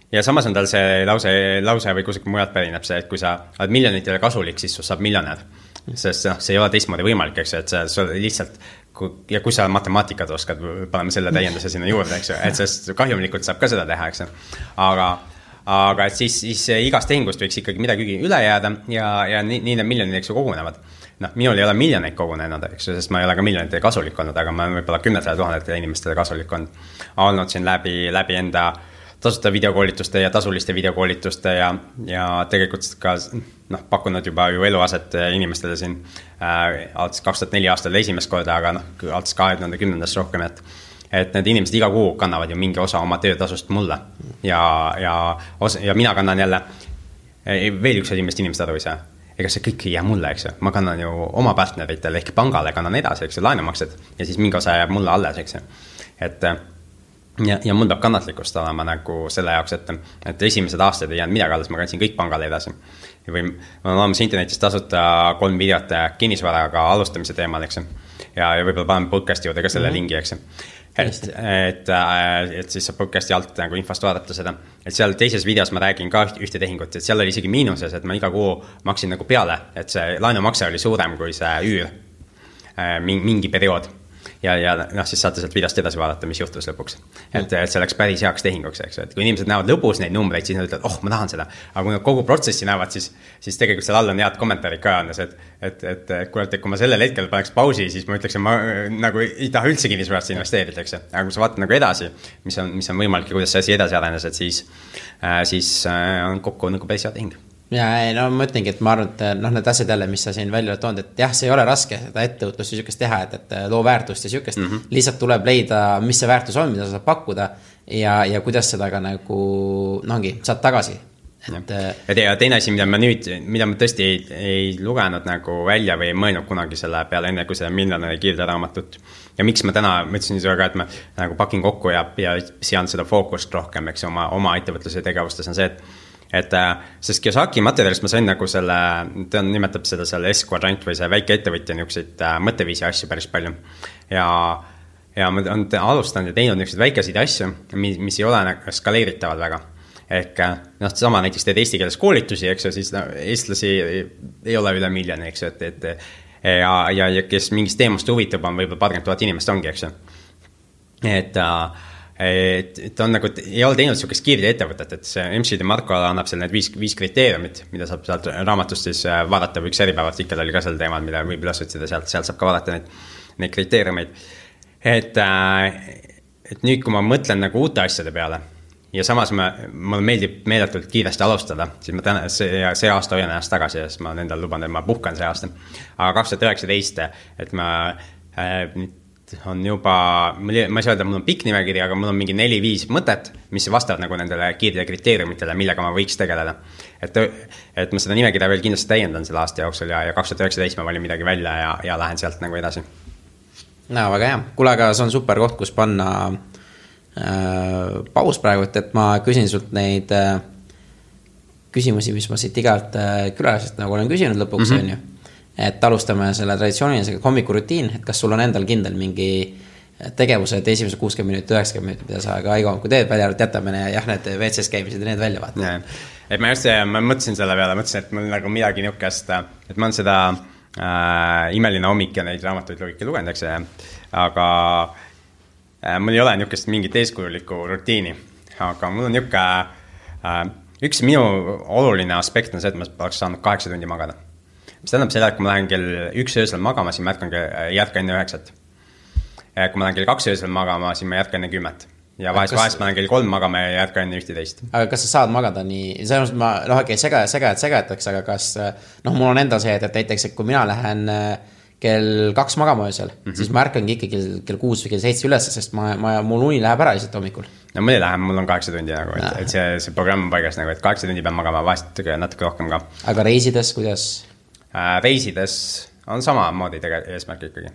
Ja samas on tal see lause või kusagil mujalt pärineb see, et kui sa oled miljonitele kasulik, siis sul saab miljonär. Sest see ei ole teistmoodi võimalik, eks ju, et see lihtsalt, ja kui sa matemaatikat oskad, paneme selle täienduse sinna juurde, eks ju, et sest kahjumlikult saab ka seda teha, eks ju. Aga et siis igast tehingust võiks ikkagi midagi üle jääda ja nii need miljonid, eks ju, kogunevad. Minul ei ole miljoneid kogunenud, eks ju, sest ma ei ole ka miljonitele kasulik olnud, aga ma olen võib-olla 10 000 inimestele kasulik olnud siin läbi enda tasuta videokoolituste ja tasuliste videokoolituste ja tegelikult ka pakkunud juba ju eluaset inimestele siin alates 2004 aastal esimest korda, aga alates 2010 rohkem, et need inimesed iga kuu kannavad ju mingi osa oma töötasust mulle ja mina kannan jälle veel üks inimest aru ei saa. Ega see kõik ei jää mulle, eks ju. Ma kannan ju oma partneritele ehk pangale kannan edasi, eks ju, laenumaksed ja siis mingi osa jääb mulle alles, eks ju. Ja mul peab kannatlikust olema nagu selle jaoks, et esimesed aastad ei jäänud midagi alles, ma kandsin kõik pangale edasi. Või ma olen olemas internetis tasuta 3 videot kinnisvaraga alustamise teemal, eks ju. Ja võib-olla panen podcasti juurde ka selle lingi, eks ju. Et siis saab podcasti alt nagu infost vaadata seda. Et seal teises videos ma räägin ka ühte tehingut, et seal oli isegi miinuses, et ma iga kuu maksin nagu peale, et see laenumakse oli suurem kui see üür mingi periood. Ja siis saate sealt videost edasi vaadata, mis juhtus lõpuks. Et see läks päris heaks tehinguks, eks. Et kui inimesed näevad lõpus neid numbreid, siis nad ütlevad, ma tahan seda. Aga kui nad kogu protsessi näevad, siis tegelikult seal all on head kommentaarid ka andes, et kui ma sellel hetkel paneks pausi, siis ma ütleks, et ma nagu ei taha üldse kinnisvarasse investeerida, eks. Aga kui sa vaatad nagu edasi, mis on võimalik ja kuidas see asi edasi arenes, et siis on kokku nagu päris hea tehing. ja ei, no ma ütlengi, et ma arvan, et noh, need asjad jälle, mis sa siin välja oled toonud, et jah, see ei ole raske seda ettevõtlust ja sükest teha, et loo väärtust ja sükest, lihtsalt tuleb leida, mis see väärtus on, mida sa saad pakkuda ja kuidas seda ka nagu, no ongi, saad tagasi. Ja teine asi, mida ma tõesti ei lugenud nagu välja või ei mõelnud kunagi selle peale, enne kui see miljonäri kiirderaamatut. Ja miks ma täna mõtlesin ka, et ma nagu pakin kokku ja sean seda fookust rohkem, eks oma ettevõtluse tegevustes on see, et sest Kiyosaki materjalist ma sain nagu selle, ta nimetab seda selle S-kvadrant või see väike ettevõtja niisuguseid mõtteviisi asju päris palju. Ja ma olen alustanud ja teinud niisuguseid väikeseid asju, mis ei ole nagu skaleeritavad väga. Ehk noh, sama näiteks teed eesti keeles koolitusi, eks ju, siis eestlasi ei ole üle miljoni, eks ju, ja kes mingist teemast huvitab on võib-olla 40 000 inimest ongi, eks ju. Et on nagu, ei ole teinud niisugust kiirde ettevõtet, et see MC Marko annab seal need 5 kriteeriumit, mida saab sealt raamatust siis vaadata, või üks eripäevartikkel oli ka sel teemal, mida võib üles otsida, sealt saab ka vaadata neid kriteeriumeid. Et nüüd, kui ma mõtlen nagu uute asjade peale, ja samas mulle meeldib meeletult kiiresti alustada, siis ma täna, see aasta hoian ennast tagasi, sest ma endal luban, et ma puhkan see aasta. Aga 2019, et ma on juba, ma ei saa öelda, mul on pikk nimekiri, aga mul on mingi 4-5 mõtet, mis vastavad nagu nendele kiirde kriteeriumitele, millega ma võiks tegeleda. Et ma seda nimekirja veel kindlasti täiendan selle aasta jooksul ja 2019 ma valin midagi välja ja lähen sealt nagu edasi. No, väga hea. Kuule, aga see on super koht, kus panna paus praegu, et ma küsin sult neid küsimusi, mis ma siit igalt külalisest nagu olen küsinud lõpuks, on ju. Et alustame selle traditsioonilisega hommikurutiin, et kas sul on endal kindel mingi tegevused esimese 60 minutit, 90 minutit, mida sa ka iga hommiku teed, välja jätamine ja jah, need WC-s käimised ja need välja vaata. Et ma mõtlesin selle peale, mõtlesin, et mul nagu midagi niukest, et ma olen seda imeline hommik ja neid raamatuid logika lugenud, eks, aga mul ei ole niukest mingit eeskujulikku rutiini, aga mul on niuke, üks minu oluline aspekt on see, et ma oleks saanud 8 tundi magada. Mis tähendab seda, et kui ma lähen kell 1 öösel magama, siis ma jätka enne 9. Kui ma lähen kell 2 öösel magama, siis ma jätka enne 10. Ja vahest ma lähen kell 3 magama ja jätka enne 11. Aga kas sa saad magada nii, selles mõttes ma, okei, segataks, aga kas, mul on enda see, et näiteks, et kui mina lähen kell 2 magama öösel, siis ma ärkangi ikka kell 6 või kell 7 üles, sest mul uni läheb ära lihtsalt hommikul. No mul ei lähe, mul on 8 tundi nagu, et see programm on paigas nagu, et 8 tundi pean magama, vahest natuke rohkem ka. Aga reisides, kuidas? Reisides on samamoodi eesmärk ikkagi.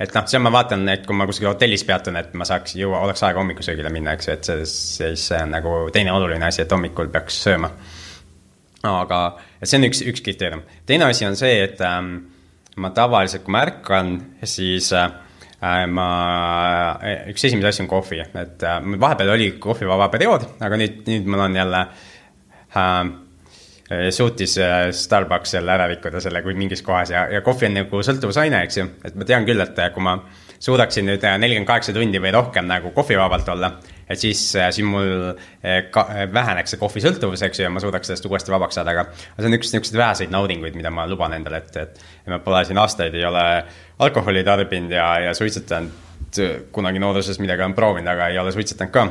Et noh, see ma vaatan, et kui ma kuskil hotellis peatun, et ma saaks oleks aega hommikusöögile minna, eks, et see on nagu teine oluline asi, et hommikul peaks sööma. Aga see on üks kriteerium. Teine asi on see, et ma tavaliselt, kui ma ärkan, siis üks esimese asju on kohvi, et vahepeal oli kohvivaba periood, aga nüüd mul on jälle suutis Starbucks jälle ära rikkuda selle kui mingis kohas ja kohvi on nagu sõltuvusaine, eks ju, et ma tean küll, et kui ma suudaksin nüüd 48 tundi või rohkem nagu kohvivabalt olla, et siis mul väheneks see kohvi sõltuvus, eks ju, ja ma suudaks sellest uuesti vabaks saada, aga see on üks niisugused väheseid naudinguid, mida ma luban endale, et ma pole siin aastaid ei ole alkoholi tarbinud ja suitsetanud kunagi nooruses midagi on proovinud, aga ei ole suitsetanud ka.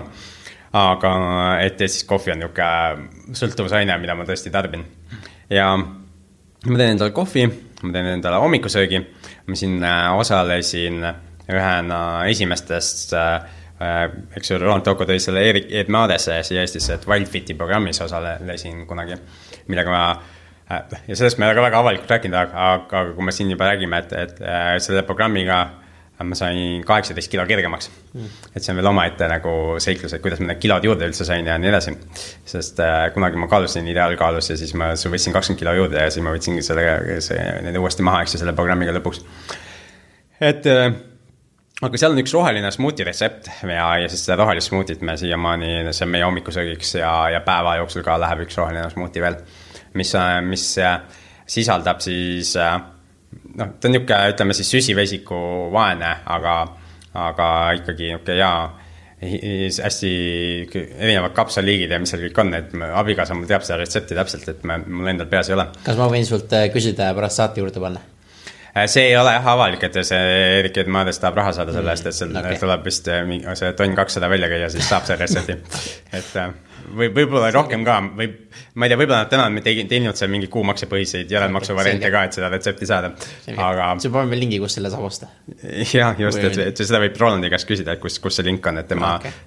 Aga et siis kohvi on niisugune sõltuvusaine, mida ma tõesti tarbin. Ja ma teen endale kohvi, ma teen endale hommikusöögi, ma siin osalesin ühena esimestest, eks ju, Roland Toko tõi selle Eed Maadesse siia Eestisse, et Wildfiti programmis osalesin kunagi, millega ma ja sellest me ei ole ka väga avalikult rääkinud, aga kui me siin juba räägime, et selle programmiga ma sain 18 kilo kergemaks. Et see on veel omaette nagu seiklus, et kuidas ma need kilod juurde üldse sain ja nii edasi. Sest kunagi ma kaalusin ideaalkaalus ja siis ma võtsin 20 kilo juurde ja siis ma võtsin need uuesti maha, eks selle programmiga lõpuks. Aga seal on üks roheline smuuti retsept ja siis seda rohelist smuutit me siiamaani, see on meie hommikusöögiks ja päeva jooksul ka läheb üks roheline smuuti veel, mis sisaldab siis ta on niisugune, ütleme siis süsivesiku vaene, aga ikkagi niisugune hästi erinevad kapsaliigid ja mis seal kõik on, et abikaasa mul teab seda retsepti täpselt, et mul endal peas ei ole. Kas ma võin sult küsida ja pärast saate juurde panna? see ei ole avalik, et see Erik Edmaades tahab raha saada selle eest, et seal tuleb vist see tonn 200 välja käia, siis saab see retsepti. Et võib-olla rohkem ka, ma ei tea, võib-olla nad täna on teeninud seal mingi kuumaksepõhiseid järelmaksuvariante ka, et seda retsepti saada. Aga see paneb meil lingi, kus selle saab osta. Jah, just, et seda võib Rolandi käest küsida, et kus see link on, et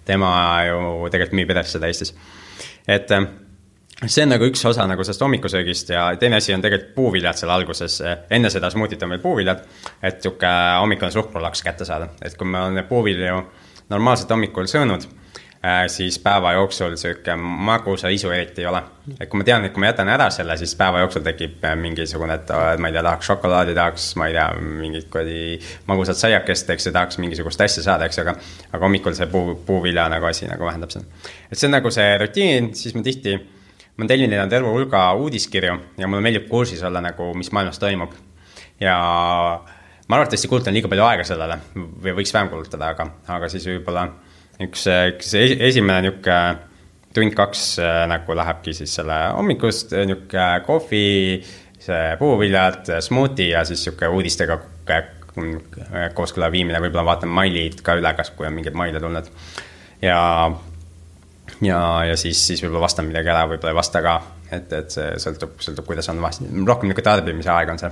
tema ju tegelikult müüb edasi seda Eestis. Et see on nagu üks osa nagu sellest hommikusöögist ja teine asi on tegelikult puuviljad seal alguses. Enne seda smuutit on meil puuviljad, et siuke hommikul suhkrulaks kätte saada. Et kui me oleme puuvilju normaalselt hommikul söönud, siis päeva jooksul siuke magusa isu eriti ei ole. Et kui ma tean, et kui ma jätan ära selle, siis päeva jooksul tekib mingisugune, et ma ei tea, tahaks šokolaadi, tahaks, ma ei tea, mingit magusat saiakest, eks, ja tahaks mingisugust asja saada, eks, aga hommikul see puuvilja nagu asi nagu vähendab seda. Et see on nagu see rutiin, siis ma tellin terve hulga uudiskirju ja mulle meeldib kursis olla nagu, mis maailmas toimub. Ja ma arvatavasti kulutan liiga palju aega sellele või võiks vähem kulutada, aga siis võib-olla üks esimene niuke tund 2 nagu lähebki siis selle hommikust, niuke kohvi, see puuviljad, smuuti ja siis niuke uudistega kooskõla viimine, võib-olla vaatan mailid ka üle, kas kui on mingid maile tulnud. Ja siis võib-olla vastan midagi ära, võib-olla ei vasta ka, et see sõltub, kuidas on rohkem niuke tarbimise aeg on see.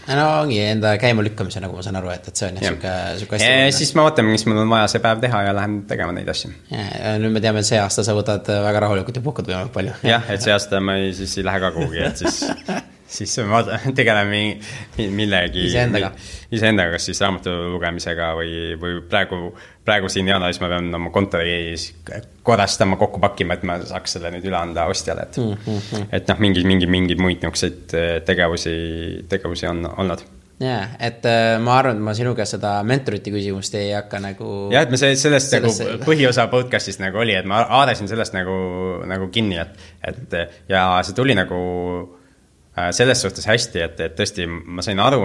No ongi enda käima lükkamise, nagu ma saan aru, et see on siuke hästi. Siis ma vaatan, mis mul on vaja see päev teha ja lähen tegema neid asju. Nüüd me teame, et see aasta sa võtad väga rahulikult ja puhkad võimalik palju. Jah, et see aasta ma ei lähe ka kuhugi, et siis ma tegeleme millegi iseendaga, kas siis raamatu lugemisega või praegu siin jaanuaris ma pean oma kontori korrastama, kokku pakkima, et ma saaks selle nüüd üle anda ostjale, et mingi muid niukseid tegevusi on olnud. Jaa, et ma arvan, et ma sinu käest seda mentorite küsimust ei hakka nagu... Jah, et me sellest nagu põhiosa podcastist nagu oli, et ma aadasin sellest nagu kinni, et ja see tuli nagu selles suhtes hästi, et tõesti ma sain aru,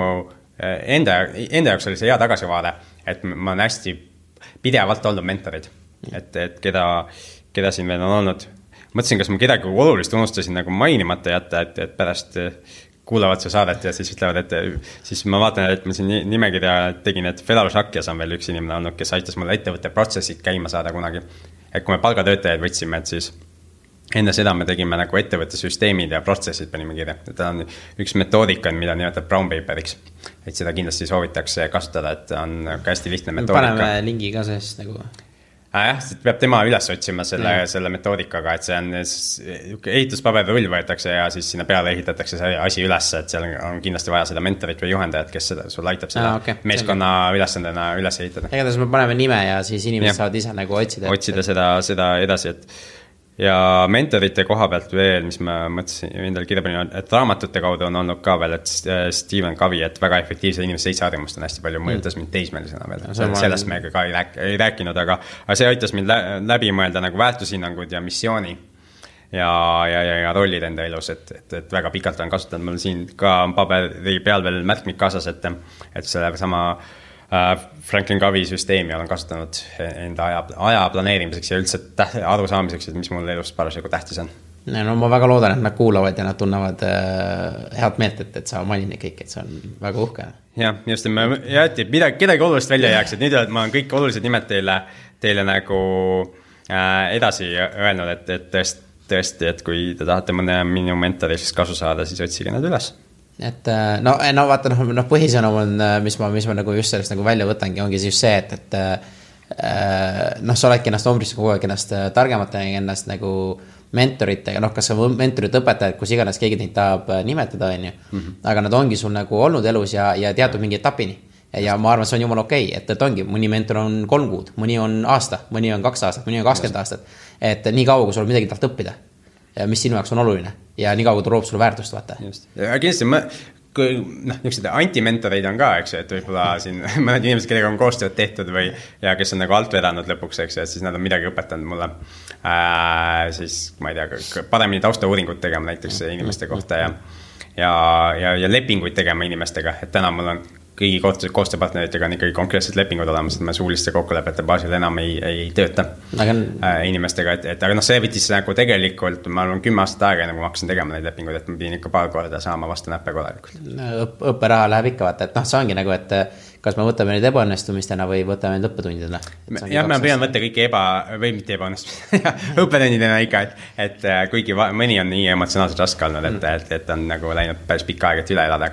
enda jaoks oli see hea tagasivaade, et ma olen hästi pidevalt olnud mentorid, et keda siin veel on olnud. Mõtlesin, kas ma kedagi olulist unustasin nagu mainimata jätta, et pärast kuulavad see saadet ja siis ütlevad, et siis ma vaatan, et ma siin nimekirja tegin, et Felaro Šakjas on veel üks inimene olnud, kes aitas mulle ettevõtte protsessid käima saada kunagi. Et kui me palgatöötajaid võtsime, et siis enne seda me tegime nagu ettevõtte süsteemid ja protsessid panime kirja. Ta on üks metoodika, mida nimetab brown paperiks. Et seda kindlasti soovitakse kasutada, et on hästi lihtne metoodika. Paneme lingi ka sest nagu... Jah, peab tema üles otsima selle metoodikaga, et see on ehituspaberrull võetakse ja siis sinna peale ehitatakse see asi üles, et seal on kindlasti vaja seda mentorit või juhendajat, kes sul aitab seda meeskonna ülesandena üles ehitada. Igatahes me paneme nime ja siis inimesed saavad ise nagu otsida seda edasi, ja mentorite koha pealt veel, mis ma mõtlesin endal kirjapanin, et raamatute kaudu on olnud ka veel, et Stephen Covey, et väga efektiivse inimese 7 harjumust on hästi palju mõjutas mind teismelisena veel. Sellest me ka ei rääkinud, aga see aitas mind läbi mõelda nagu väärtushinnangud ja missiooni ja rollid enda elus, et väga pikalt on kasutanud. Mul siin ka paberi peal veel märkmik kaasas, et selle sama Franklin Covey süsteemi olen kasutanud enda aja planeerimiseks ja üldse aru saamiseks, et mis mul elus parasjagu tähtis on. No ma väga loodan, et nad kuulavad ja nad tunnevad head meelt, et sa mainin kõik, et see on väga uhke. Jah, just, et kedagi olulist välja jääks, et nüüd ma olen kõik olulised nimed teile nagu edasi öelnud, et tõesti, et kui te tahate mõne minu mentorist kasu saada, siis otsige nad üles. Et no vaata, põhisõnum on, mis ma nagu just sellest nagu välja võtangi, ongi just see, et sa oledki ennast ombrisse kogu aeg ennast targemate, ennast nagu mentoritega, kas see mentorit õpetajad, kus iganes keegi neid tahab nimetada, aga nad ongi sul nagu olnud elus ja teatud mingi etapini. Ja ma arvan, see on jumala okei, et ongi, mõni mentor on 3 kuud, mõni on aasta, mõni on 2 aastat, mõni on 20 aastat, et nii kaua, kui sul midagi tahad õppida, mis sinu jaoks on oluline ja nii kaua, kui ta loob sulle väärtust, vaata. Just. Ja kindlasti niisugused antimentoreid on ka, eks, et võib-olla siin mõned inimesed, kellega on koostööd tehtud ja kes on nagu alt vedanud lõpuks, eks, et siis nad on midagi õpetanud mulle. Siis, ma ei tea, paremini taustauuringut tegema näiteks inimeste kohta ja lepinguid tegema inimestega, et täna mul on kõigi koostööpartneritega on ikkagi konkreetsed lepingud olemas, et me suuliste kokkulepete baasil enam ei tööta inimestega, aga noh, see võttis nagu tegelikult, ma arvan 10 aastat aega, enne kui ma hakkasin tegema neid lepinguid, et ma pidin ikka paar korda saama vastu näppe korralikult. Õpperaha läheb ikka vaata, et noh, see ongi nagu, et kas me võtame neid ebaõnnestumistena või võtame neid õppetundidena? Jah, me püüan võtta kõiki või mitte ebaõnnestumistena, õppetundidena ikka, et kuigi mõni on nii emotsionaalselt raske olnud, et on nagu läinud päris pikka aega, et üle elada,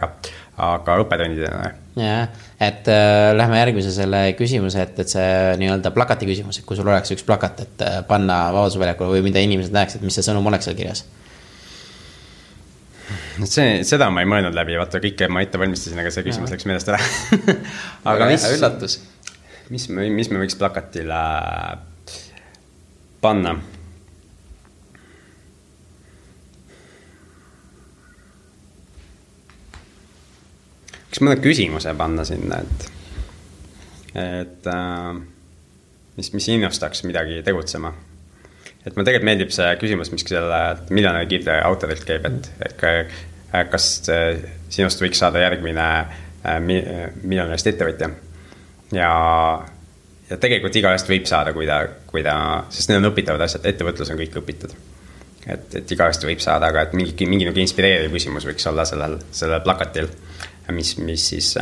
aga õppetundidena. Jah, et lähme järgmise selle küsimuse, et see nii-öelda plakati küsimus, et kui sul oleks üks plakat, et panna Vabadusväljakule või mida inimesed näeks, et mis see sõnum oleks seal kirjas? Seda ma ei mõelnud läbi, vaata kõike ma ette valmistasin, aga see küsimus läks meelest ära. Aga üllatus. Mis me võiks plakatile panna? Kas mõne küsimuse panna sinna, et mis innustaks midagi tegutsema? Et ma tegelikult meeldib see küsimus, mis selle miljonäri kiirte autorilt käib, et kas sinust võiks saada järgmine miljonärist ettevõtja. Ja tegelikult igaühest võib saada, kui ta, sest need on õpitavad asjad, ettevõtlus on kõik õpitud. Et igaühest võib saada, aga et mingi nagu inspireeriv küsimus võiks olla sellel plakatil, mis siis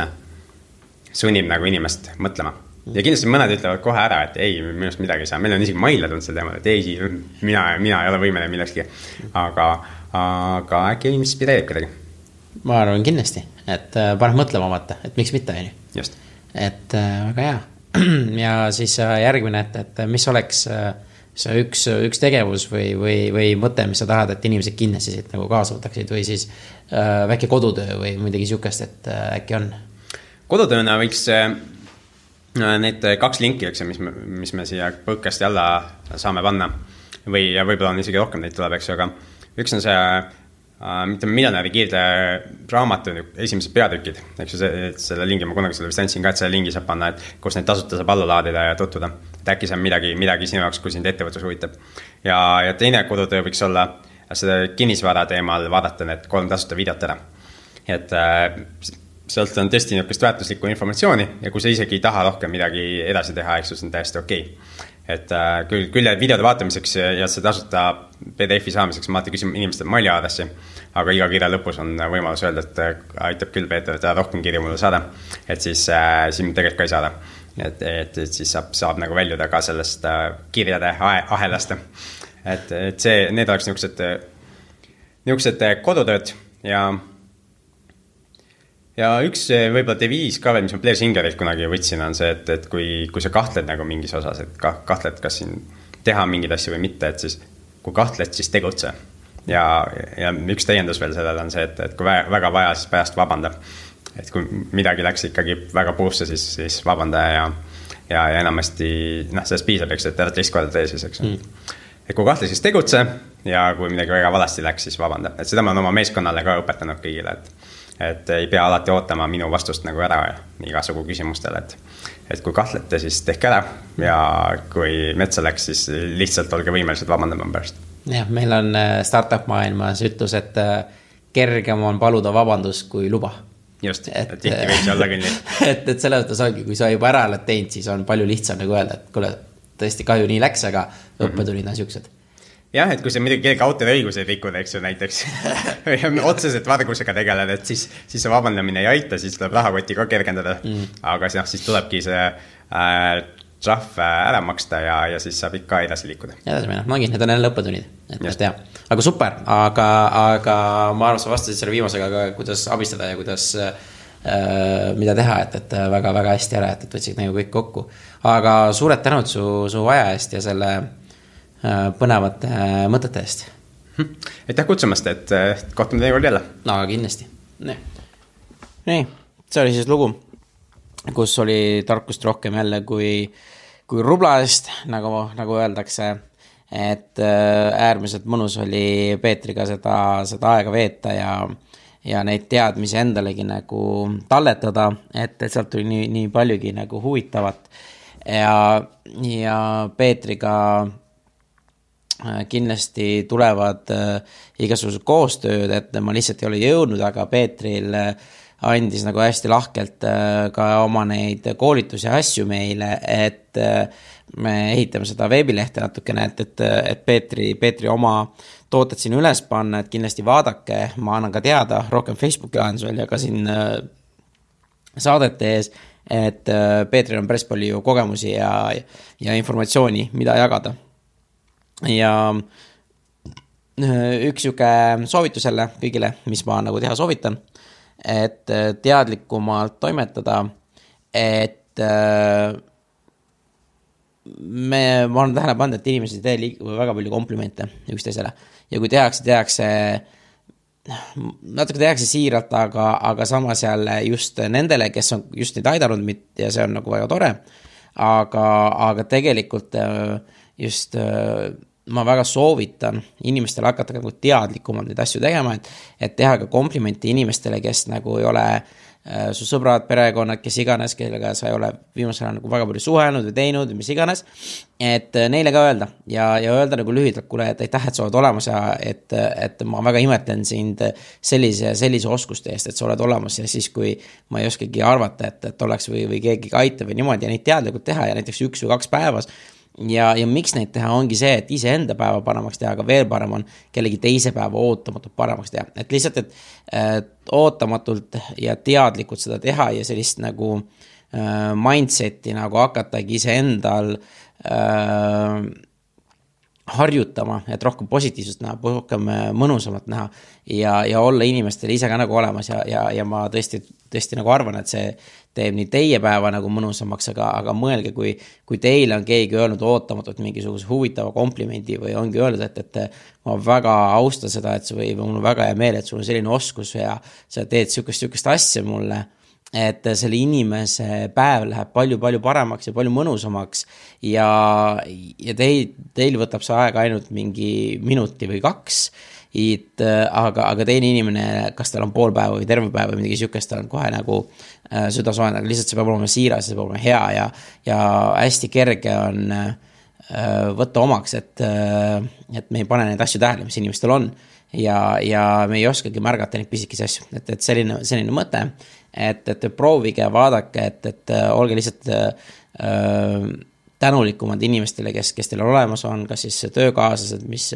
sunnib nagu inimest mõtlema. Ja kindlasti mõned ütlevad kohe ära, et ei, minust midagi ei saa. Meil on isegi maile tulnud selle teemal, et ei, mina ei ole võimene millekski. Aga äkki inspireerib kedagi. Ma arvan kindlasti, et paneb mõtlema vaata, et miks mitte on ju. Just. Et väga hea. Ja siis järgmine, et mis oleks see üks tegevus või mõte, mis sa tahad, et inimesed kindlasti siit nagu kaasa võtaksid või siis väike kodutöö või midagi sihukest, et äkki on? Kodutööna võiks need 2 linki, mis me siia põkkasti alla saame panna või võib-olla on isegi rohkem neid tuleb, eks ju, aga üks on see miljonäri kiirde raamatu esimesed peatükid, eks ju, selle lingi ma kunagi selle vist andsin ka, et selle lingi saab panna, et kus neid tasuta saab alla laadida ja tutvuda, et äkki see on midagi sinu jaoks, kui sind ettevõtlus huvitab. Ja teine kodutöö võiks olla seda kinnisvara teemal vaadata need 3 tasuta videot ära, et sealt on tõesti niisugust väärtuslikku informatsiooni ja kui sa isegi ei taha rohkem midagi edasi teha, eks see on täiesti okei. Et küll videode vaatamiseks ja see tasuta PDF-i saamiseks ma alati küsin inimestel maili aadressi, aga iga kirja lõpus on võimalus öelda, et aitab küll Peeter, et rohkem kirju mulle saada, et siis tegelikult ka ei saada. Et siis saab nagu väljuda ka sellest kirjade ahelast. Et need oleks niisugused kodutööd ja üks võib-olla deviis ka veel, mis ma Blair Singerilt kunagi võtsin, on see, et kui sa kahtled nagu mingis osas, et kahtled, kas siin teha mingeid asju või mitte, et siis kui kahtled, siis tegutse. Ja üks täiendus veel sellele on see, et kui väga vaja, siis pärast vabanda. Et kui midagi läks ikkagi väga puusse, siis vabanda ja enamasti, sellest piisab, eks, et ära teist korda tee siis, eks. Et kui kahtle, siis tegutse ja kui midagi väga valasti läks, siis vabanda. Et seda ma olen oma meeskonnale ka õpetanud kõigile, et ei pea alati ootama minu vastust nagu ära igasugu küsimustele, et kui kahtlete, siis tehke ära ja kui metsa läks, siis lihtsalt olge võimelised vabandama pärast. Jah, meil on startup maailmas ütlus, et kergem on paluda vabandust kui luba. Just, et tihti võiks olla küll nii. et selle mõttes ongi, kui sa juba ära oled teinud, siis on palju lihtsam nagu öelda, et kuule, tõesti kahju nii läks, aga õppetulid on siuksed. Jah, et kui sa midagi kellegi autoriõiguseid rikkud, eks ju näiteks otseselt vargusega tegeled, et siis see vabandamine ei aita, siis tuleb rahakoti ka kergendada. Aga siis tulebki see trahv ära maksta ja siis saab ikka edasi liikuda. Edasi minna, need on jälle õppetunnid. Aga super, aga ma arvan, sa vastasid selle viimasega, kuidas abistada ja kuidas mida teha, et väga-väga hästi ära, et võtsid nagu kõik kokku. Aga suured tänud su aja eest ja selle põnevate mõtete eest. Aitäh kutsumast, et kohtume teie kord jälle. No, kindlasti. Nii, see oli siis lugu, kus oli tarkust rohkem jälle kui rubla eest, nagu öeldakse, et äärmiselt mõnus oli Peetriga seda aega veeta ja neid teadmisi endalegi nagu talletada, et sealt tuli nii paljugi nagu huvitavat ja Peetriga kindlasti tulevad igasugused koostööd, et ma lihtsalt ei ole jõudnud, aga Peetril andis nagu hästi lahkelt ka oma neid koolitusi ja asju meile, et me ehitame seda veebilehte natukene, et Peetri oma tooted siin üles panna, et kindlasti vaadake, ma annan ka teada rohkem Facebooki lahendusel ja ka siin saadete ees, et Peetril on päris palju kogemusi ja informatsiooni, mida jagada. Ja üks siuke soovitus jälle kõigile, mis ma nagu teha soovitan, et teadlikumalt toimetada, et ma olen tähele pannud, et inimesed ei tee väga palju komplimente üksteisele ja kui tehakse natuke tehakse siiralt, aga samas jälle just nendele, kes on just neid aidanud ja see on nagu väga tore, aga tegelikult just ma väga soovitan inimestele hakata nagu teadlikumalt neid asju tegema, et teha ka komplimenti inimestele, kes nagu ei ole su sõbrad, perekonnad, kes iganes, kellega sa ei ole viimasel ajal nagu väga palju suhelnud või teinud või mis iganes, et neile ka öelda ja öelda nagu lühidalt, kuule, et aitäh, et sa oled olemas ja et ma väga imetlen sind sellise oskuste eest, et sa oled olemas ja siis, kui ma ei oskagi arvata, et oleks või keegi aitab või niimoodi ja neid teadlikult teha ja näiteks 1 või 2 päevas ja miks neid teha ongi see, et iseenda päeva paremaks teha, aga veel parem on kellegi teise päeva ootamatult paremaks teha, et lihtsalt, et ootamatult ja teadlikult seda teha ja sellist nagu mindseti nagu hakatagi iseendal harjutama, et rohkem positiivsust näha, rohkem mõnusamalt näha ja olla inimestele ise ka nagu olemas ja ma tõesti nagu arvan, et see teeb nii teie päeva nagu mõnusamaks, aga mõelge, kui teile on keegi öelnud ootamatult mingisuguse huvitava komplimendi või ongi öelnud, et ma väga austan seda, et või mul on väga hea meel, et sul on selline oskus ja sa teed sükest asja mulle, et selle inimese päev läheb palju paremaks ja palju mõnusamaks ja teil võtab see aeg ainult mingi minuti või 2, aga teine inimene, kas tal on pool päeva või terve päeva või midagi sükest, tal on kohe nagu süda soojend, aga lihtsalt see peab olema siiras, see peab olema hea ja hästi kerge on võtta omaks, et me ei pane neid asju tähele, mis inimestel on ja me ei oskagi märgata neid pisikesi asju, et selline mõte, et proovige, vaadake, et olge lihtsalt tänulikumad inimestele, kes teil olemas on, kas siis töökaaslased, mis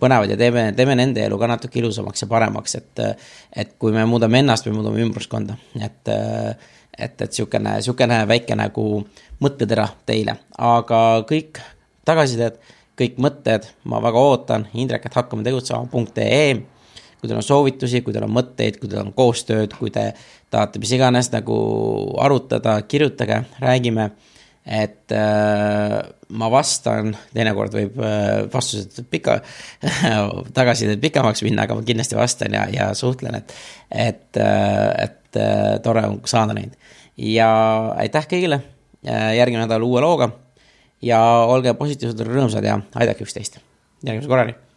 põnevad ja teeme nende elu ka natuke ilusamaks ja paremaks, et kui me muudame ennast, me muudame ümbruskonda, et sükene väike nagu mõttetera teile, aga kõik tagasisided, kõik mõtted, ma väga ootan, indrek@hakkametegutsema.ee, kui teil on soovitusi, kui teil on mõtteid, kui teil on koostööd, kui te tahate mis iganes nagu arutada, kirjutage, räägime, et ma vastan, teinekord võib vastused tagasisidet pikemaks minna, aga ma kindlasti vastan ja suhtlen, et tore on saada neid. Ja aitäh kõigile, järgmine nädal uue looga ja olge positiivsed, rõõmsad ja aidake üksteist. Järgmise korrani.